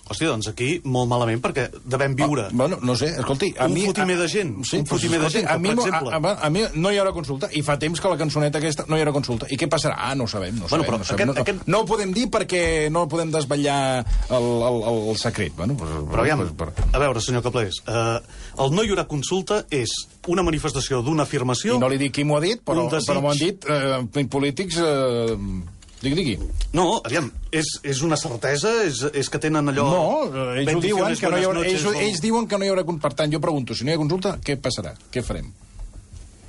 Hòstia, doncs aquí molt malament, perquè devem viure... Ah, bueno, no sé, escolti... A un mi, fotimer de gent, sí, un fotimer pues, de gent, a que, mi, per exemple... A, a, a mi no hi haurà consulta, i fa temps que la cançoneta aquesta no hi haurà consulta. I què passarà? Ah, no ho sabem, no ho Bueno, sabem. però no, sabem aquest- no, aquest- no ho podem dir perquè no podem desvetllar el, el, el, el secret. Bueno, pues, Però aviam, pues, per... a veure, senyor Caplés, eh, el no hi haurà consulta és una manifestació d'una afirmació... I no li dic qui m'ho ha dit, però, un desig- però m'ho han dit eh, polítics... Eh, digui, digui. No, aviam, és, és una certesa? És, és que tenen allò... No, eh, ells ho diuen que no hi haurà... Ells, noches, ells diuen que no hi haurà... Per tant, jo pregunto, si no hi ha consulta, què passarà? Què farem?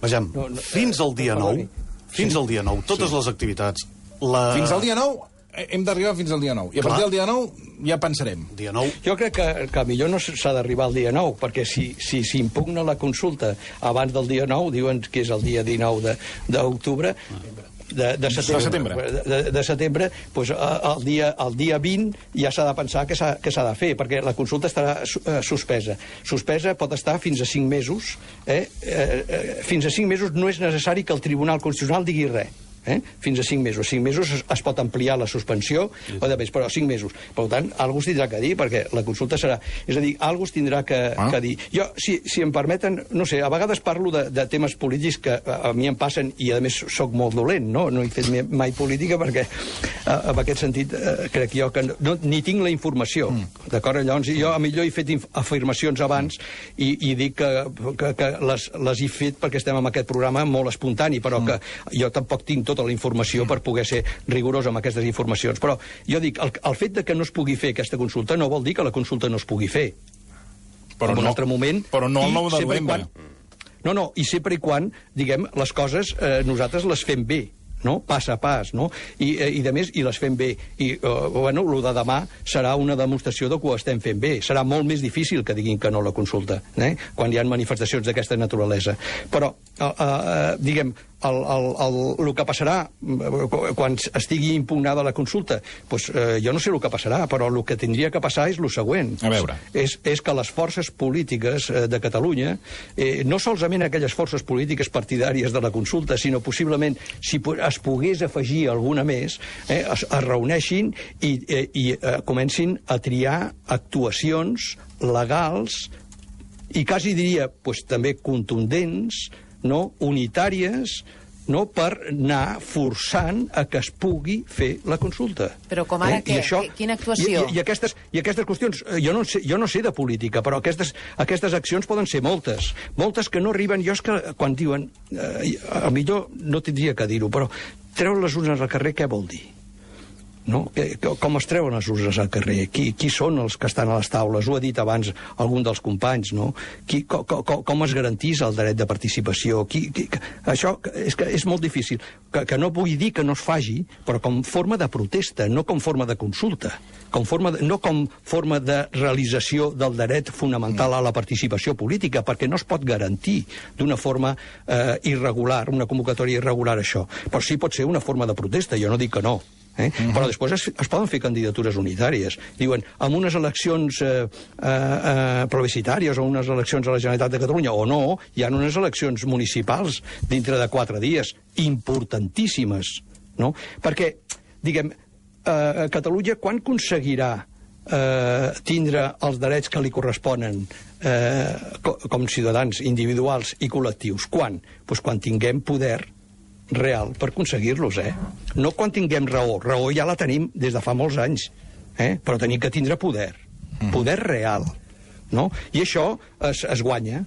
Vejam, No, no, fins al dia no, nou, perdoni. fins al dia nou, totes les activitats... La... Fins al dia nou, eh, hem d'arribar fins al dia nou. I a Clar. partir del dia nou ja pensarem. Dia nou... Jo crec que, que millor no s'ha d'arribar al dia nou, perquè si si s'impugna la consulta abans del dia nou, diuen que és el dia dinou d'octubre, de, de setembre, De setembre. de, de, de setembre pues, el, dia, el dia vint ja s'ha de pensar què s'ha què s'ha de fer, perquè la consulta estarà eh, suspesa. Suspesa pot estar fins a cinc mesos. Eh? Eh, eh, fins a cinc mesos no és necessari que el Tribunal Constitucional digui res. Eh? Fins a cinc mesos. Cinc mesos es, es pot ampliar la suspensió, o de més, però cinc mesos. Per tant, algú es tindrà que dir, perquè la consulta serà... És a dir, algú es tindrà que, ah. que dir. Jo, si, si em permeten, no sé, a vegades parlo de, de temes polítics que a, a mi em passen, i a més sóc molt dolent, no? No he fet mai política perquè, a, en aquest sentit, eh, crec jo que no, ni tinc la informació, mm. d'acord? Llavors, jo a millor he fet afirmacions abans i, i dic que, que, que les, les he fet perquè estem en aquest programa molt espontani, però mm. que jo tampoc tinc tota la informació per poder ser rigorós amb aquestes informacions. Però jo dic, el, el fet de que no es pugui fer aquesta consulta no vol dir que la consulta no es pugui fer. Però en un no, altre moment... però no el i nou de sempre i novembre. Quan, no, no, i sempre i quan, diguem, les coses eh, nosaltres les fem bé, no? Pas a pas, no? I, eh, i de més, i les fem bé. I, eh, bueno, el de demà serà una demostració de que ho estem fent bé. Serà molt més difícil que diguin que no la consulta, eh? Quan hi ha manifestacions d'aquesta naturalesa. Però, eh, eh, diguem, el, el, el, el que passarà quan estigui impugnada la consulta, doncs, eh, jo no sé el que passarà, però el que tindria que passar és el següent. A veure. És, és que les forces polítiques eh, de Catalunya, eh, no solament aquelles forces polítiques partidàries de la consulta, sinó possiblement, si es pogués afegir alguna més, eh, es, es reuneixin i, eh, i eh, comencin a triar actuacions legals i quasi diria pues, també contundents, no? Unitàries, no? Per anar forçant a que es pugui fer la consulta. Però com ara I què? Quina actuació? I, i, i, aquestes, I aquestes qüestions, eh, jo no, sé, jo no sé de política, però aquestes, aquestes accions poden ser moltes. Moltes que no arriben, jo és que quan diuen, eh, a millor no tindria que dir-ho, però treure les urnes al carrer què vol dir? No? Com es treuen les urnes al carrer? Qui, qui són els que estan a les taules? Ho ha dit abans algun dels companys, no? Qui, com, com, com es garantís el dret de participació? Qui, qui, això és, que és molt difícil. Que, que no vull dir que no es faci, però com forma de protesta, no com forma de consulta. Com forma de, no com forma de realització del dret fonamental a la participació política, perquè no es pot garantir d'una forma eh, irregular, una convocatòria irregular, això. Però sí pot ser una forma de protesta, jo no dic que no. Eh? Uh-huh. Però després es, es poden fer candidatures unitàries. Diuen, amb unes eleccions eh, eh, plebiscitàries o unes eleccions a la Generalitat de Catalunya, o no, hi ha unes eleccions municipals dintre de quatre dies, importantíssimes, no? Perquè, diguem, eh, Catalunya quan aconseguirà eh, tindre els drets que li corresponen eh, co com ciutadans individuals i col·lectius? Quan? Pues quan tinguem poder real per aconseguir-los, eh? No quan tinguem raó. Raó ja la tenim des de fa molts anys, eh? Però tenim que tindre poder. Poder real. No? I això es, es guanya.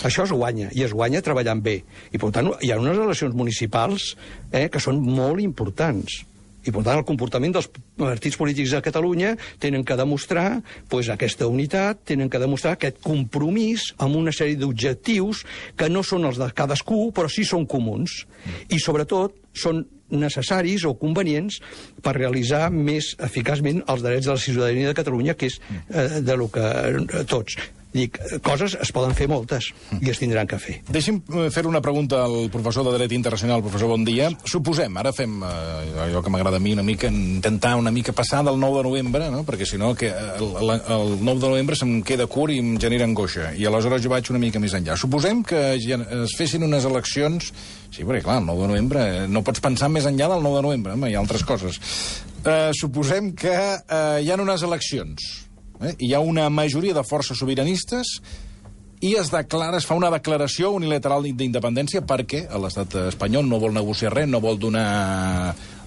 Això es guanya. I es guanya treballant bé. I, per tant, hi ha unes eleccions municipals eh, que són molt importants. I, per tant, el comportament dels partits polítics a Catalunya tenen que demostrar pues, aquesta unitat, tenen que demostrar aquest compromís amb una sèrie d'objectius que no són els de cadascú, però sí són comuns. I, sobretot, són necessaris o convenients per realitzar més eficaçment els drets de la ciutadania de Catalunya, que és eh, de lo que eh, tots... Dic, coses es poden fer moltes i es tindran que fer. Deixi'm fer una pregunta al professor de Dret Internacional, professor Bondia. Suposem, ara fem eh, allò que m'agrada a mi una mica, intentar una mica passar del nou de novembre, no? Perquè si no que el, el, el nou de novembre se'm queda curt i em genera angoixa. I aleshores jo vaig una mica més enllà. Suposem que es fessin unes eleccions... Sí, perquè clar, el nou de novembre no pots pensar més enllà del nou de novembre, home, hi ha altres coses. Eh, suposem que eh, hi ha unes eleccions. Eh? Hi ha una majoria de forces sobiranistes i es declara, es fa una declaració unilateral d'independència perquè l'estat espanyol no vol negociar res, no vol donar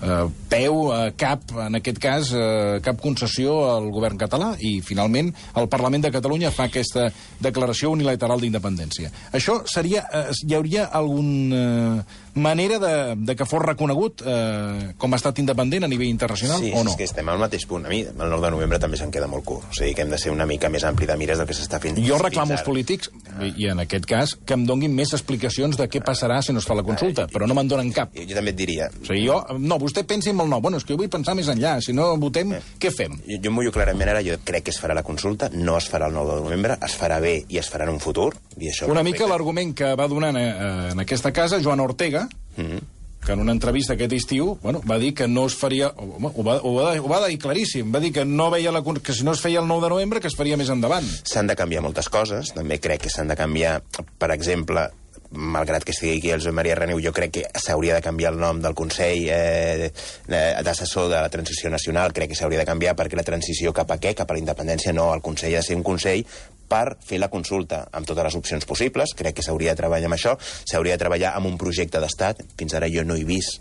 eh, peu a cap, en aquest cas, eh, cap concessió al govern català i, finalment, el Parlament de Catalunya fa aquesta declaració unilateral d'independència. Això seria... Eh, hi hauria alguna eh, manera de, de que fos reconegut eh, com a estat independent a nivell internacional sí, o no? Sí, és que estem al mateix punt. A mi, el nou de novembre també se'n queda molt curt. O sigui, que hem de ser una mica més ampli de mires del que s'està fent. Jo reclamo als polítics, i en aquest cas, que em donguin més explicacions de què passarà si no es fa la consulta, però no me'n donen cap. Jo, jo també et diria... O sigui, jo... No, vostè pensi en el no. Bueno, és que jo vull pensar més enllà. Si no votem, eh. què fem? Jo, jo mullo clarament ara, jo crec que es farà la consulta, no es farà el nou de novembre, es farà bé i es farà en un futur. I això una mica l'argument que va donar eh, en aquesta casa Joan Ortega, mm-hmm. que en una entrevista aquest estiu, bueno, va dir que no es faria... Home, ho, va, ho, va, ho va dir claríssim. Va dir que, no veia la, que si no es feia el nou de novembre, que es faria més endavant. S'han de canviar moltes coses. També crec que s'han de canviar, per exemple, malgrat que estigui aquí el Josep Maria Reneu, jo crec que s'hauria de canviar el nom del Consell eh, d'Assessor de la Transició Nacional. Crec que s'hauria de canviar perquè la transició cap a què? Cap a la independència no. El Consell ha de ser un Consell per fer la consulta amb totes les opcions possibles. Crec que s'hauria de treballar amb això. S'hauria de treballar amb un projecte d'estat. Fins ara jo no he vist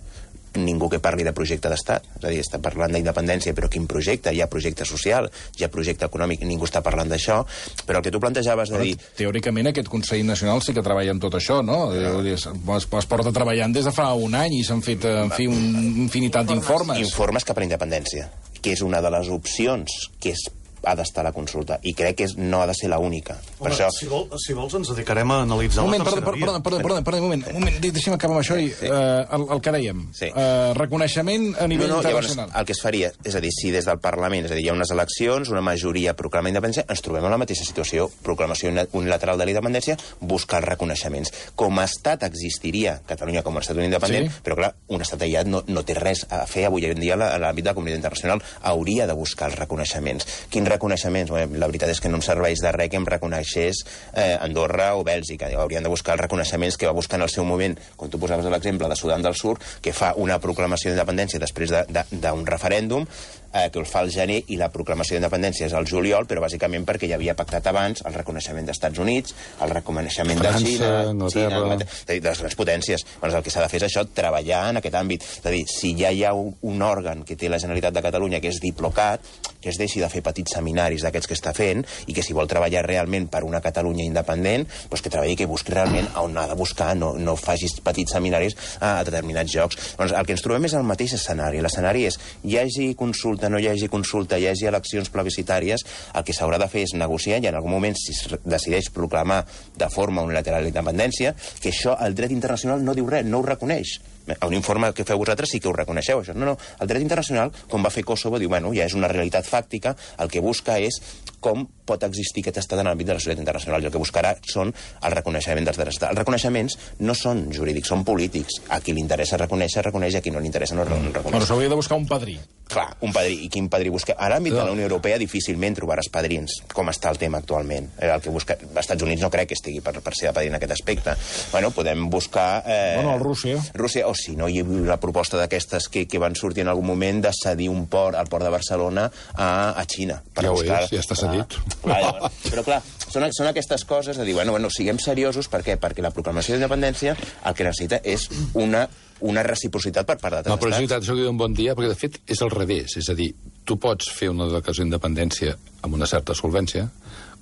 ningú que parli de projecte d'estat. És a dir, està parlant d'independència, però quin projecte? Hi ha projecte social, hi ha projecte econòmic, ningú està parlant d'això. Però el que tu plantejaves de dir... Teòricament aquest Consell Nacional sí que treballa en tot això, no? no. Es, es porta treballant des de fa un any i s'han fet, en fi, una infinitat d'informes. Informes cap a la independència, que és una de les opcions que és ha d'estar a la consulta, i crec que és, no ha de ser l'única. Per això... Si, vol, si vols ens dedicarem a analitzar un moment, la tercera perdó, via. Perdó, perdó, perdó, perdó, un moment, un moment, deixa'm acabar amb això i sí. uh, el, el que dèiem. Sí. Uh, reconeixement a nivell no, no, internacional. Llavors, el que es faria, és a dir, si des del Parlament, és a dir, hi ha unes eleccions, una majoria proclama independència, ens trobem en la mateixa situació, proclamació unilateral de la independència, buscar els reconeixements. Com a estat existiria Catalunya com a estat independent, sí. Però clar, un estat aïllat no, no té res a fer avui en dia a l'àmbit de la comunitat internacional, hauria de buscar els reconeixements. Quins reconeixements? Bé, la veritat és que no em serveix de res que em reconeixés eh, Andorra o Bèlgica. Haurien de buscar els reconeixements que va buscar en el seu moment, com tu posaves l'exemple de Sudan del Sud, que fa una proclamació d'independència després d'un referèndum, eh, que el fa al gener, i la proclamació d'independència és al juliol, però bàsicament perquè ja havia pactat abans el reconeixement dels Estats Units, el reconeixement França, de Xina, Anglaterra... Xina, de les grans potències. Doncs el que s'ha de fer és això, treballar en aquest àmbit. És a dir, si ja hi ha un, un òrgan que té la Generalitat de Catalunya, que és Diplocat, que es deixi de fer petits seminaris d'aquests que està fent, i que si vol treballar realment per una Catalunya independent, doncs que treballi, que busqui realment on ha de buscar, no, no facis petits seminaris a, a determinats jocs. Doncs el que ens trobem és el mateix escenari. L'escenari és, hi hagi consulta, no hi hagi consulta, hi hagi eleccions plebiscitàries, el que s'haurà de fer és negociar, i en algun moment, si es decideix proclamar de forma unilateral la independència, que això el dret internacional no diu res, no ho reconeix. A un informe que feu vosaltres sí que ho reconeixeu, això. No, no, el dret internacional, com va fer Kosovo, diu, bueno, ja és una realitat fàctica, el que busca és com pot existir aquest estat en l'àmbit de la societat internacional, i el que buscarà són el reconeixement dels drets. Els reconeixements no són jurídics, són polítics. A qui li interessa reconèixer, reconeix, a qui no li interessa no reconeix. Però s'hauria de buscar un padrí. Clar, un padrí. I quin padrí busca? A l'àmbit de la Unió Europea difícilment trobaràs padrins, com està el tema actualment. El que busca... Els Estats Units no crec que estigui per, per ser de padrí en aquest aspecte. Bueno, podem buscar... Eh... Bueno, el Rússia. Rússia, o si no, hi ha la proposta d'aquestes que, que van sortir en algun moment de cedir un port, al port de Barcelona, a, a Xina. Per ja buscar... ho és, ja està cedit. Clar, clar, però clar, són, són aquestes coses de dir, bueno, bueno, siguem seriosos, per què? Perquè la proclamació d'independència el que necessita és una, una reciprocitat per part d'altres estats. La reciprocitat, això que diu un bon dia, perquè de fet és al revés, és a dir, tu pots fer una declaració d'independència amb una certa solvència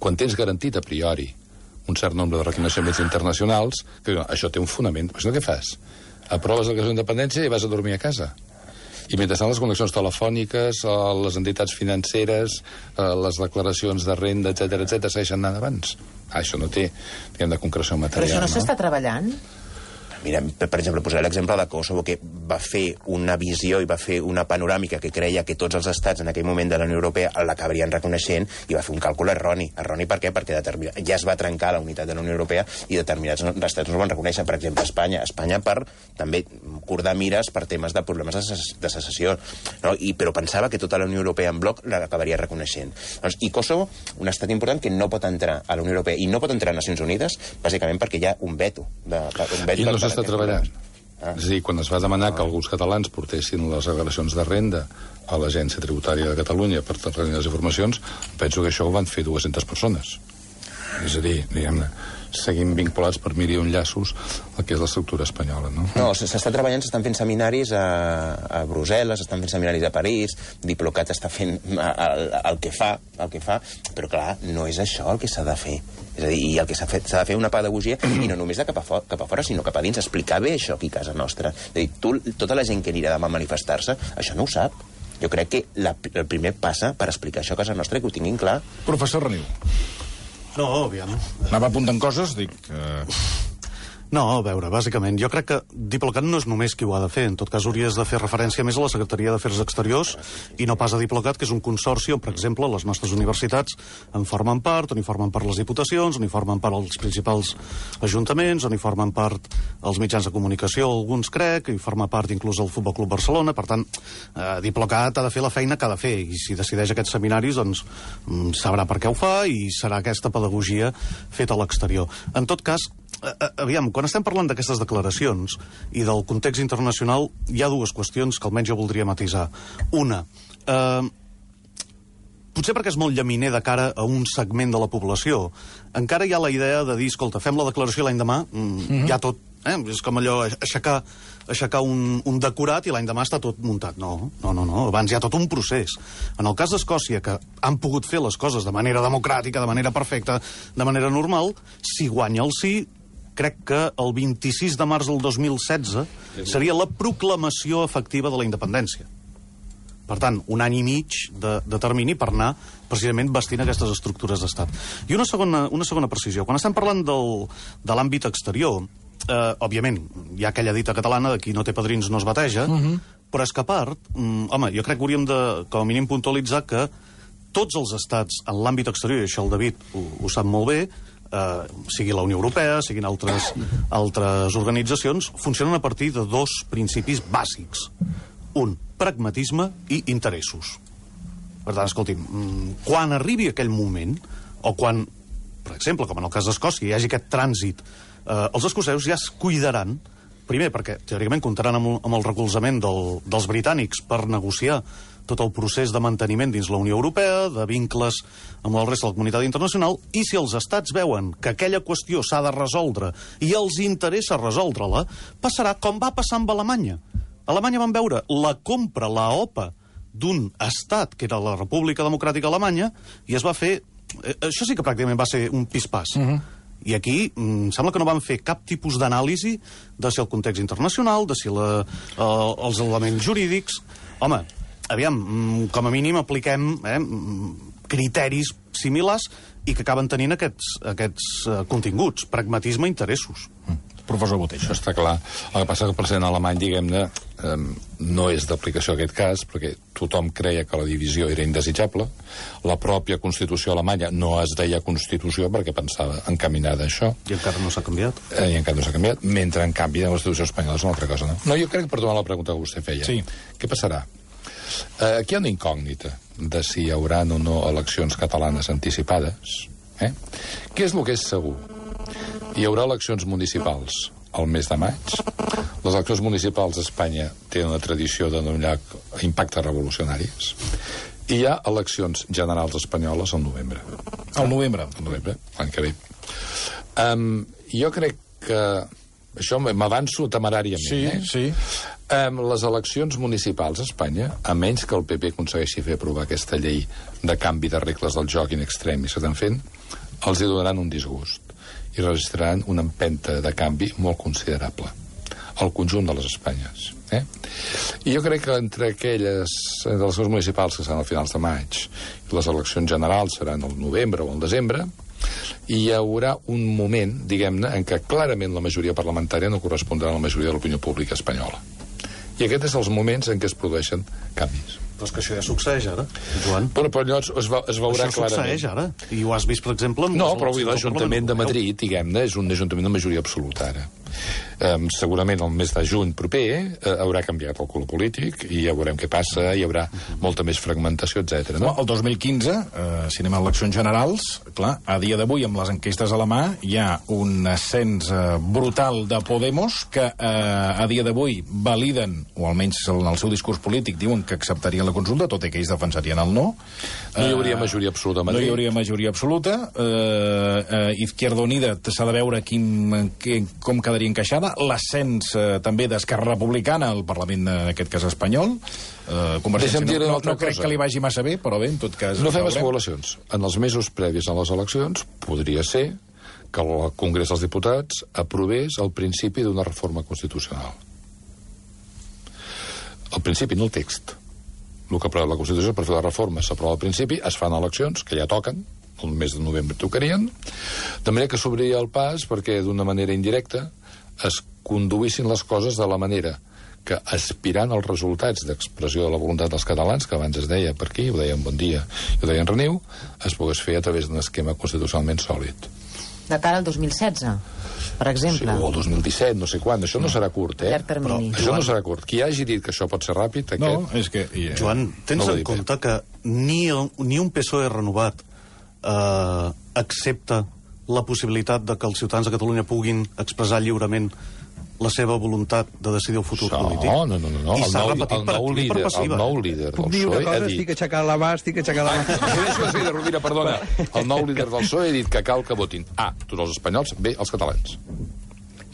quan tens garantit a priori un cert nombre de reconeixements internacionals, que això té un fonament. Però això què fas? Aproves la declaració d'independència i vas a dormir a casa. I mentrestant les connexions telefòniques, les entitats financeres, les declaracions de renda, etcètera, etcètera, segueixen anant abans. Ah, això no té, diguem, de concreció material. Però això no, no? s'està treballant? Mira, per exemple, posaré l'exemple de Kosovo, que va fer una visió i va fer una panoràmica que creia que tots els estats en aquell moment de la Unió Europea l'acabarien reconeixent i va fer un càlcul erroni. Erroni per què? Perquè determina... ja es va trencar la unitat de la Unió Europea i determinats estats no es van reconèixer. Per exemple, Espanya. Espanya per també cordar mires per temes de problemes de, ses de secessió. No? I, però pensava que tota la Unió Europea en bloc l'acabaria reconeixent. Doncs, I Kosovo, un estat important que no pot entrar a la Unió Europea i no pot entrar a Nacions Unides, bàsicament perquè hi ha un veto. De, un veto I no s'està treballant. Ah. És a dir, quan es va demanar ah. que alguns catalans portessin les declaracions de renda a l'Agència Tributària de Catalunya per tenir les informacions, penso que això ho van fer dues-centes persones. És a dir, diguem-ne, seguim vinculats per mil i un llaços el que és l'estructura espanyola, no? No, s'està treballant, s'estan fent seminaris a, a Brussel·les, s'estan fent seminaris a París, Diplocat està fent el, el que fa, el que fa, però clar, no és això el que s'ha de fer. És a dir, i el que s'ha fet, s'ha de fer una pedagogia, i no només de cap a, fora, cap a fora, sinó cap a dins, explicar bé això aquí a casa nostra. És a dir, tu, tota la gent que anirà demà a manifestar-se, això no ho sap. Jo crec que la, el primer passa per explicar això a casa nostra, que ho tinguin clar. Professor Reniu. No, aviam. Anava apuntant coses, dic... Eh... No, a veure, bàsicament, jo crec que Diplocat no és només qui ho ha de fer. En tot cas, hauries de fer referència més a la Secretaria d'Afers Exteriors i no pas a Diplocat, que és un consorci on, per exemple, les nostres universitats en formen part, on hi formen part les diputacions, on hi formen part els principals ajuntaments, on hi formen part els mitjans de comunicació, alguns crec, i forma part inclús el Futbol Club Barcelona. Per tant, eh, Diplocat ha de fer la feina que ha de fer, i si decideix aquests seminaris, doncs sabrà per què ho fa i serà aquesta pedagogia feta a l'exterior. En tot cas, aviam, quan estem parlant d'aquestes declaracions i del context internacional, hi ha dues qüestions que almenys jo voldria matisar. Una, eh, potser perquè és molt llaminer de cara a un segment de la població, encara hi ha la idea de dir, escolta, fem la declaració l'any demà, mm, mm-hmm. ja tot, eh? És com allò, aixecar, aixecar un, un decorat i l'any demà està tot muntat. No, no, no, no, abans hi ha tot un procés. En el cas d'Escòcia, que han pogut fer les coses de manera democràtica, de manera perfecta, de manera normal, si guanya el sí, crec que el vint-i-sis de març del dos mil setze seria la proclamació efectiva de la independència. Per tant, un any i mig de, de termini per anar precisament vestint aquestes estructures d'estat. I una segona, una segona precisió. Quan estem parlant del, de l'àmbit exterior, eh, òbviament, hi ha aquella dita catalana de qui no té padrins no es bateja, uh-huh. però és que a part, mm, home, jo crec que hauríem de, com a mínim, puntualitzar que tots els estats en l'àmbit exterior, i això el David ho, ho sap molt bé, Uh, sigui la Unió Europea, siguin altres, altres organitzacions, funcionen a partir de dos principis bàsics. Un, pragmatisme i interessos. Per tant, escolti'm, quan arribi aquell moment, o quan, per exemple, com en el cas d'Escòcia, hi hagi aquest trànsit, uh, els escocesos ja es cuidaran, primer perquè teòricament comptaran amb, amb el recolzament del, dels britànics per negociar tot el procés de manteniment dins la Unió Europea, de vincles amb el resta de la comunitat internacional, i si els estats veuen que aquella qüestió s'ha de resoldre i els interessa resoldre-la, passarà com va passar amb Alemanya. A Alemanya van veure la compra, la O P A, d'un estat, que era la República Democràtica Alemanya, i es va fer... Eh, això sí que pràcticament va ser un pispàs. Uh-huh. I aquí em sembla que no van fer cap tipus d'anàlisi de si el context internacional, de si la, eh, els elements jurídics... Home, aviam, com a mínim apliquem eh, criteris similars i que acaben tenint aquests, aquests uh, continguts, pragmatisme i interessos. Mm. Professor Botell. Això està clar. El que passa que el president alemany, diguem-ne, eh, no és d'aplicació aquest cas, perquè tothom creia que la divisió era indesitjable. La pròpia Constitució alemanya no es deia Constitució perquè pensava encaminada a això. I encara no s'ha canviat. Eh, I encara no s'ha canviat, mentre, en canvi, la Constitució espanyola és una altra cosa, no? No, jo crec, perdona la pregunta que vostè feia. Sí. Què passarà? Eh, aquí hi ha una incògnita de si hi haurà o no eleccions catalanes anticipades. Eh? Què és el que és segur? Hi haurà eleccions municipals al mes de maig. Les eleccions municipals a Espanya tenen una tradició de donar impactes revolucionaris. I hi ha eleccions generals espanyoles al novembre. Al novembre? Al novembre, l'any que ve. Um, jo crec que... Això m'avanço temeràriament, sí, eh? Sí, um, les eleccions municipals a Espanya, a menys que el P P aconsegueixi fer aprovar aquesta llei de canvi de regles del joc in extremis que estan fent, els hi donaran un disgust i registraran una empenta de canvi molt considerable al conjunt de les Espanyes. Eh? I jo crec que entre aquelles de les eleccions municipals que seran a finals de maig i les eleccions generals seran al novembre o al desembre, hi haurà un moment, diguem-ne, en què clarament la majoria parlamentària no correspondrà a la majoria de l'opinió pública espanyola. I aquests són els moments en què es produeixen canvis. Però és que això ja succeeix ara, Joan. Però, però llavors es, va, es veurà això clarament. Això succeeix ara, i ho has vist, per exemple... No, però avui l'Ajuntament de Madrid, diguem-ne, és un ajuntament de majoria absoluta ara. Um, segurament el mes de juny proper uh, haurà canviat el color polític i ja veurem què passa, hi haurà molta més fragmentació, etcètera. No? No, el dos mil quinze, eh, si anem a eleccions generals, clar, a dia d'avui, amb les enquestes a la mà, hi ha un ascens eh, brutal de Podemos, que eh, a dia d'avui validen, o almenys en el seu discurs polític, diuen que acceptarien la consulta, tot i que ells defensarien el no. No hi hauria majoria absoluta a Madrid. No hi hauria majoria absoluta. Eh, eh, Izquierda Unida s'ha de veure quin, quin, com quedaria encaixada. L'ascens eh, també d'Esquerra Republicana al Parlament, en aquest cas espanyol. Eh, Convergència no, no, no crec que li vagi massa bé, però bé, en tot cas... No fem especulacions. En els mesos previs a les eleccions podria ser que el Congrés dels Diputats aprovés el principi d'una reforma constitucional. El principi, no el text. El que aprova la Constitució per fer la reforma s'aprova al principi, es fan eleccions, que ja toquen, el mes de novembre tocarien, de manera que s'obriria el pas perquè d'una manera indirecta es conduïssin les coses de la manera que, aspirant als resultats d'expressió de la voluntat dels catalans, que abans es deia per aquí, ho deien Bon Dia i ho deien Reniu, es pogués fer a través d'un esquema constitucionalment sòlid. De cara al dos mil setze, per exemple. Sí, o el dos mil disset, no sé quan. Això no serà curt, eh? Però això no serà curt. Qui hagi dit que això pot ser ràpid, aquest... No, és que... Yeah. Joan, tens no en compte que ni, el, ni un P S O E renovat eh, accepta la possibilitat de que els ciutadans de Catalunya puguin expressar lliurement la seva voluntat de decidir el futur no, polític. No, no, no. no. I s'ha repetit el per nou activa i per líder, passiva. el nou líder del Puc dir una P S O E cosa? ha dit... Estic aixecant la mà, estic aixecant la mà. Deixo de dir, Rovira, perdona. El nou líder del P S O E ha dit que cal que votin A, tots els espanyols, B, els catalans.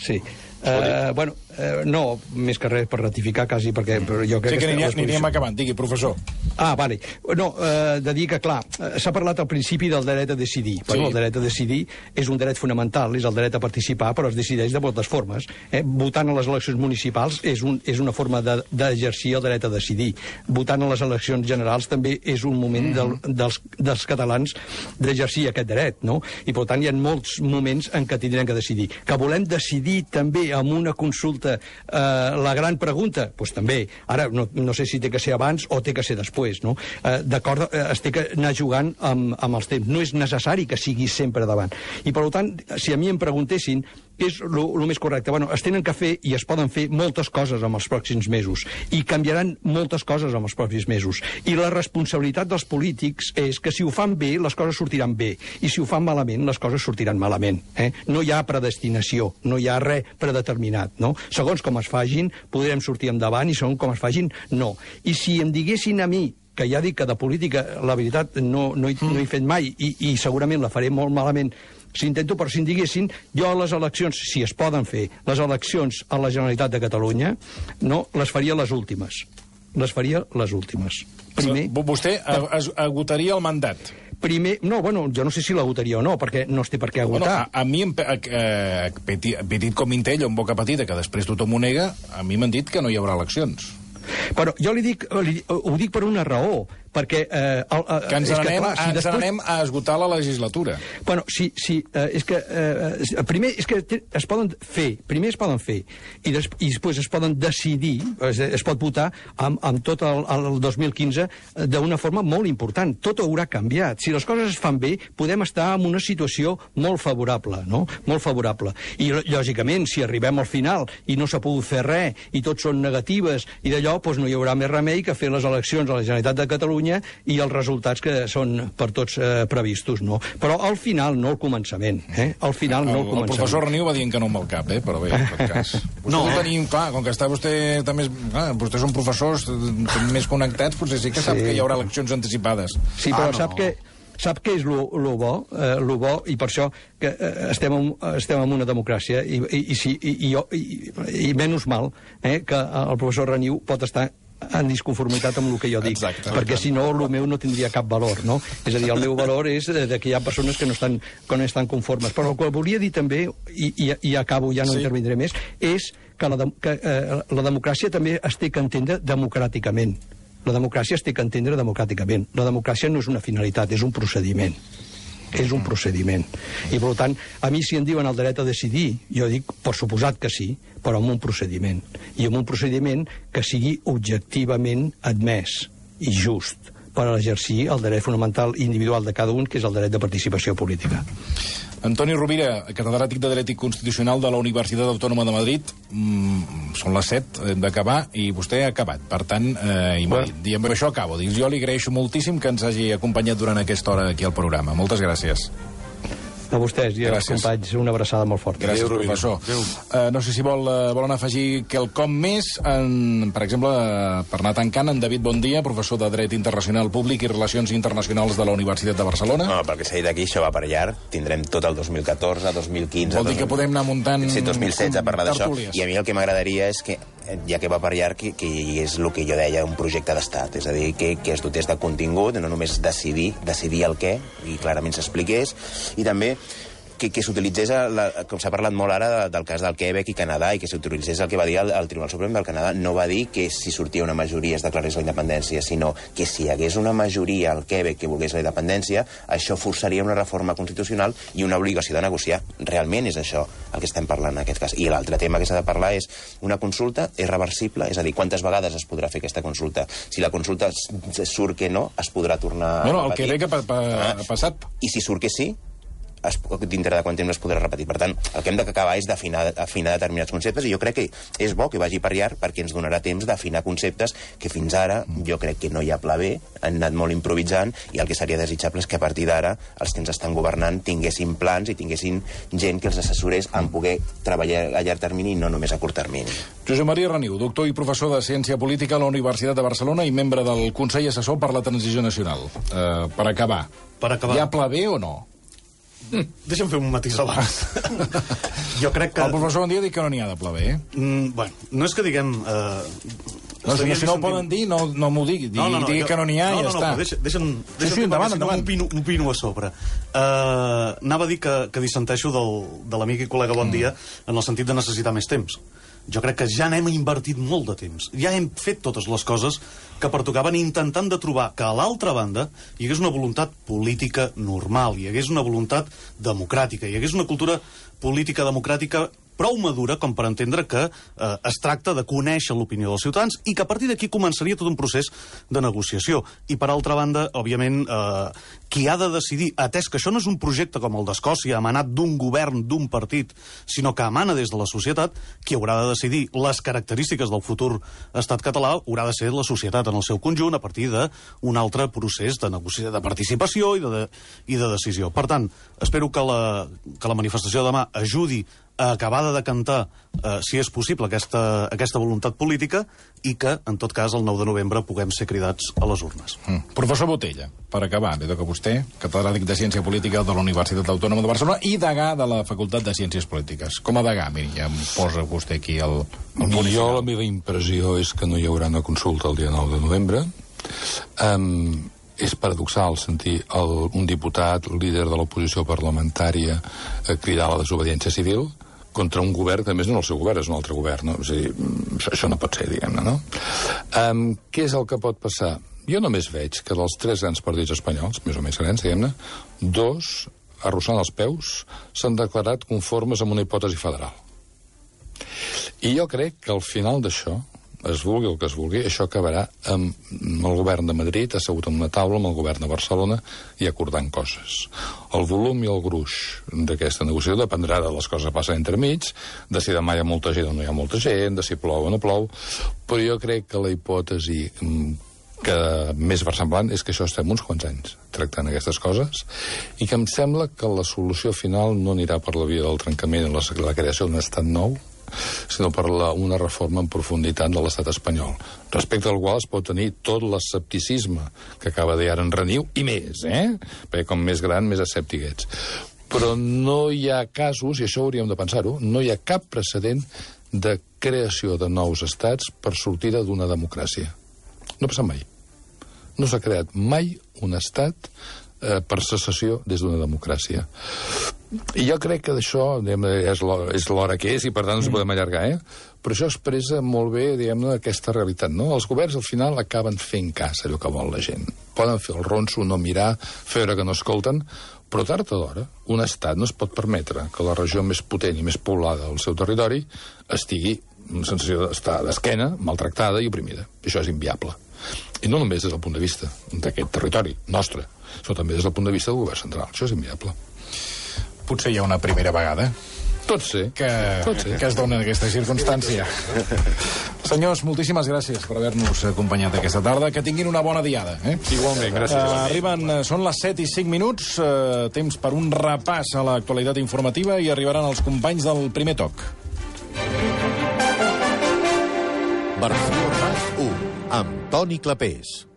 Sí. Uh, bueno, uh, no, més que res per ratificar quasi, perquè però jo crec Sí que que... aniríem, aniríem acabant. Digui, professor. Ah, vale. No, uh, de dir que, clar, uh, s'ha parlat al principi del dret a decidir. Sí. Bueno, el dret a decidir és un dret fonamental, és el dret a participar, però es decideix de moltes formes. Eh? Votant a les eleccions municipals és, un, és una forma d'exercir de, el dret a decidir. Votant a les eleccions generals també és un moment del, dels, dels catalans d'exercir aquest dret, no? I, per tant, hi ha molts moments en què tindrem que decidir. Que volem decidir també amb una consulta eh, la gran pregunta? Doncs pues també. Ara, no, no sé si té que ser abans o té que ser després, no? Eh, D'acord, eh, es té que anar jugant amb, amb els temps. No és necessari que sigui sempre davant. I, per tant, si a mi em preguntessin què és el més correcte, bueno, es tenen que fer i es poden fer moltes coses en els pròxims mesos. I canviaran moltes coses en els pròxims mesos. I la responsabilitat dels polítics és que si ho fan bé, les coses sortiran bé. I si ho fan malament, les coses sortiran malament. Eh? No hi ha predestinació, no hi ha res predeterminat. No? Segons com es fagin, podrem sortir endavant i segons com es fagin, no. I si em diguessin a mi que ja dic que de política, la veritat, no, no, he, no he fet mai i, i segurament la faré molt malament si intento, però si em diguessin, jo a les eleccions, si es poden fer, les eleccions a la Generalitat de Catalunya, no, les faria les últimes. Les faria les últimes. Primer... Vostè agotaria el mandat. Primer, no, bueno, jo no sé si l'agotaria o no, perquè no es té per què agotar. Bueno, a, a mi, eh, petit, petit com Intell, en boca petita, que després tothom ho nega, a mi m'han dit que no hi haurà eleccions. Però jo li dic, li, ho dic per una raó, perquè... Eh, el, eh, que ens n'anem si després... anem a esgotar la legislatura. Bueno, sí, sí, eh, és que... Eh, primer, és que es poden fer, primer es poden fer, i, des, i després es poden decidir, es, es pot votar amb, amb tot el, el dos mil quinze d'una forma molt important. Tot haurà canviat. Si les coses es fan bé, podem estar en una situació molt favorable, no? Molt favorable. I, lògicament, si arribem al final i no s'ha pogut fer res, i tots són negatives, i d'allò, doncs no hi haurà més remei que fer les eleccions a la Generalitat de Catalunya i els resultats que són per tots eh, previstos, no? Però al final, no al començament, eh? Al final, no al començament. El professor Reniu va dient que no amb el cap, eh? Però bé, en tot cas. Vostè no. Tenim, clar, com que està vostè també... Clar, vostès són professors més connectats, potser sí que sap sí. que hi haurà eleccions anticipades. Sí, però ah, no. sap que... Sap què és lo, lo bo? Eh, lo bo, i per això que eh, estem, en, estem en una democràcia, i, i, i, i, i, i, i menys mal eh, que el professor Reniu pot estar en disconformitat amb el que jo dic, exacte, perquè si no el meu no tindria cap valor, no? És a dir, el meu valor és de que hi ha persones que no estan, que no estan conformes. Però el que volia dir també, i, i, i acabo, ja no sí. intervindré més, és que, la, de, que eh, la democràcia també es té que entendre democràticament. La democràcia es té que entendre democràticament. La democràcia no és una finalitat, és un procediment. És un procediment. I, per tant, a mi si em diuen el dret a decidir, jo dic, per suposat que sí, però amb un procediment. I amb un procediment que sigui objectivament admès i just per exercir el dret fonamental individual de cada un, que és el dret de participació política. Antoni Rovira, catedràtic de Dret i Constitucional de la Universitat Autònoma de Madrid. Mm, són les set, hem d'acabar, i vostè ha acabat. Per tant, eh, i bueno. I amb això acabo. Dic, jo li agraeixo moltíssim que ens hagi acompanyat durant aquesta hora aquí al programa. Moltes gràcies. A vostès i als companys, una abraçada molt forta. Gràcies, Adéu, professor. Uh, no sé si vol, uh, volen afegir quelcom més. En, per exemple, uh, per anar tancant, en David Bondia, professor de Dret Internacional Públic i Relacions Internacionals de la Universitat de Barcelona. No, pel que s'ha dit aquí, això va per llarg. Tindrem tot el dos mil catorze, dos mil quinze... Vol dir que podem anar muntant... Sí, dos mil setze, a parlar d'això. I a mi el que m'agradaria és que, ja que va per llarg, que, que és el que jo deia, un projecte d'estat. És a dir, que, que es dotés de contingut, no només decidir, decidir el què, i clarament s'expliqués, i també que, que s'utilitzés, la, com s'ha parlat molt ara de, del cas del Quebec i Canadà, i que s'utilitzés el que va dir el, el Tribunal Suprem del Canadà. No va dir que si sortia una majoria es declarés la independència, sinó que si hi hagués una majoria al Quebec que volgués la independència, això forçaria una reforma constitucional i una obligació de negociar. Realment és això el que estem parlant en aquest cas. I l'altre tema que s'ha de parlar és una consulta és reversible, és a dir, quantes vegades es podrà fer aquesta consulta. Si la consulta surt que no, es podrà tornar no, no, a repetir. El Quebec ha, pa, ha, ha passat. I si surt que sí, es, dintre de quant temps es podrà repetir. Per tant, el que hem d'acabar és d'afinar afinar determinats conceptes, i jo crec que és bo que vagi per llarg perquè ens donarà temps d'afinar conceptes que fins ara jo crec que no hi ha pla B, han anat molt improvisant, i el que seria desitjable és que a partir d'ara els que ens estan governant tinguessin plans i tinguessin gent que els assessorés en poder treballar a llarg termini i no només a curt termini. Josep Maria Reniu, doctor i professor de Ciència Política a la Universitat de Barcelona i membre del Consell Assessor per la Transició Nacional. Uh, per acabar, per acabar, hi ha pla B o no? Mm, deixa'm fer un matís abans. Jo crec que... El professor Bondia diu que no n'hi ha de pla B, eh? Mm, bueno, no és que diguem... Eh, no, si, si no ho poden dir, no, no m'ho digui. Digui, no, no, no, digui jo... que no n'hi ha no, i ja no, està. No, deixa'm, deixa'm, deixa'm sí, sí, endavant, endavant. Opino, opino a sobre. Uh, anava a dir que, que dissenteixo del, de l'amic i col·lega Bondia mm. en el sentit de necessitar més temps. Jo crec que ja n'hem invertit molt de temps. Ja hem fet totes les coses que pertocaven, intentant de trobar que a l'altra banda hi hagués una voluntat política normal, hi hagués una voluntat democràtica, hi hagués una cultura política democràtica prou madura com per entendre que eh, es tracta de conèixer l'opinió dels ciutadans i que a partir d'aquí començaria tot un procés de negociació. I per altra banda, òbviament, eh, qui ha de decidir, atès que això no és un projecte com el d'Escòcia, emanat d'un govern, d'un partit, sinó que emana des de la societat, qui haurà de decidir les característiques del futur estat català haurà de ser la societat en el seu conjunt a partir d'un altre procés de negociació, de participació i de, de, i de decisió. Per tant, espero que la, que la manifestació de demà ajudi a acabar de decantar, eh, si és possible, aquesta, aquesta voluntat política i que, en tot cas, el nou de novembre puguem ser cridats a les urnes. Mm. Professor Botella, per acabar, li toca a vostè, catedràtic de Ciència Política de la Universitat Autònoma de Barcelona i degà de la Facultat de Ciències Polítiques. Com a degà, miri, ja em posa vostè aquí el... el jo, la meva impressió és que no hi haurà una consulta el dia nou de novembre. Um, és paradoxal sentir el, un diputat, líder de l'oposició parlamentària, eh, cridar a la desobediència civil contra un govern que, a més, no és el seu govern, és un altre govern, no? És a dir, això no pot ser, diguem-ne, no? Um, què és el que pot passar? Jo només veig que dels tres grans partits espanyols, més o menys grans, diguem-ne, dos, arrossant els peus, s'han declarat conformes amb una hipòtesi federal. I jo crec que al final d'això, es vulgui el que es vulgui, això acabarà amb el govern de Madrid assegut en una taula amb el govern de Barcelona i acordant coses. El volum i el gruix d'aquesta negociació dependrà de les coses que passen entremig, de si demà hi ha molta gent o no hi ha molta gent, de si plou o no plou, però jo crec que la hipòtesi que més versemblant és que això estem uns quants anys tractant aquestes coses i que em sembla que la solució final no anirà per la via del trencament i la, la creació d'un estat nou, sinó per la, una reforma en profunditat de l'estat espanyol, respecte al qual es pot tenir tot l'escepticisme que acaba de dir ara en Reniu, i més, eh? Perquè com més gran, més escèptic ets. Però no hi ha casos, i això hauríem de pensar-ho, no hi ha cap precedent de creació de nous estats per sortida d'una democràcia. No passa mai. No s'ha creat mai un estat eh, per secessió des d'una democràcia. I jo crec que d'això és l'hora, és l'hora que és i per tant no ens podem allargar, eh? Però això expressa molt bé, diguem-ne, aquesta realitat, no? Els governs al final acaben fent cas allò que vol la gent. Poden fer el ronso, no mirar, fer veure que no escolten, però tard o d'hora un estat no es pot permetre que la regió més potent i més poblada del seu territori estigui en sensació d'estar d'esquena, maltractada i oprimida. Això és inviable. I no només des del punt de vista d'aquest territori nostre, sinó també des del punt de vista del govern central. Això és inviable. Potser hi ha una primera vegada Tot sé. que, Tot sé. que es dona aquesta circumstància. Senyors, moltíssimes gràcies per haver-nos acompanyat aquesta tarda. Que tinguin una bona diada. Eh? Igualment, gràcies. Uh, arriben, uh, són les set i cinc minuts, uh, temps per un repàs a l'actualitat informativa i arribaran els companys del Primer Toc. Barcelona u, amb Toni Clapés.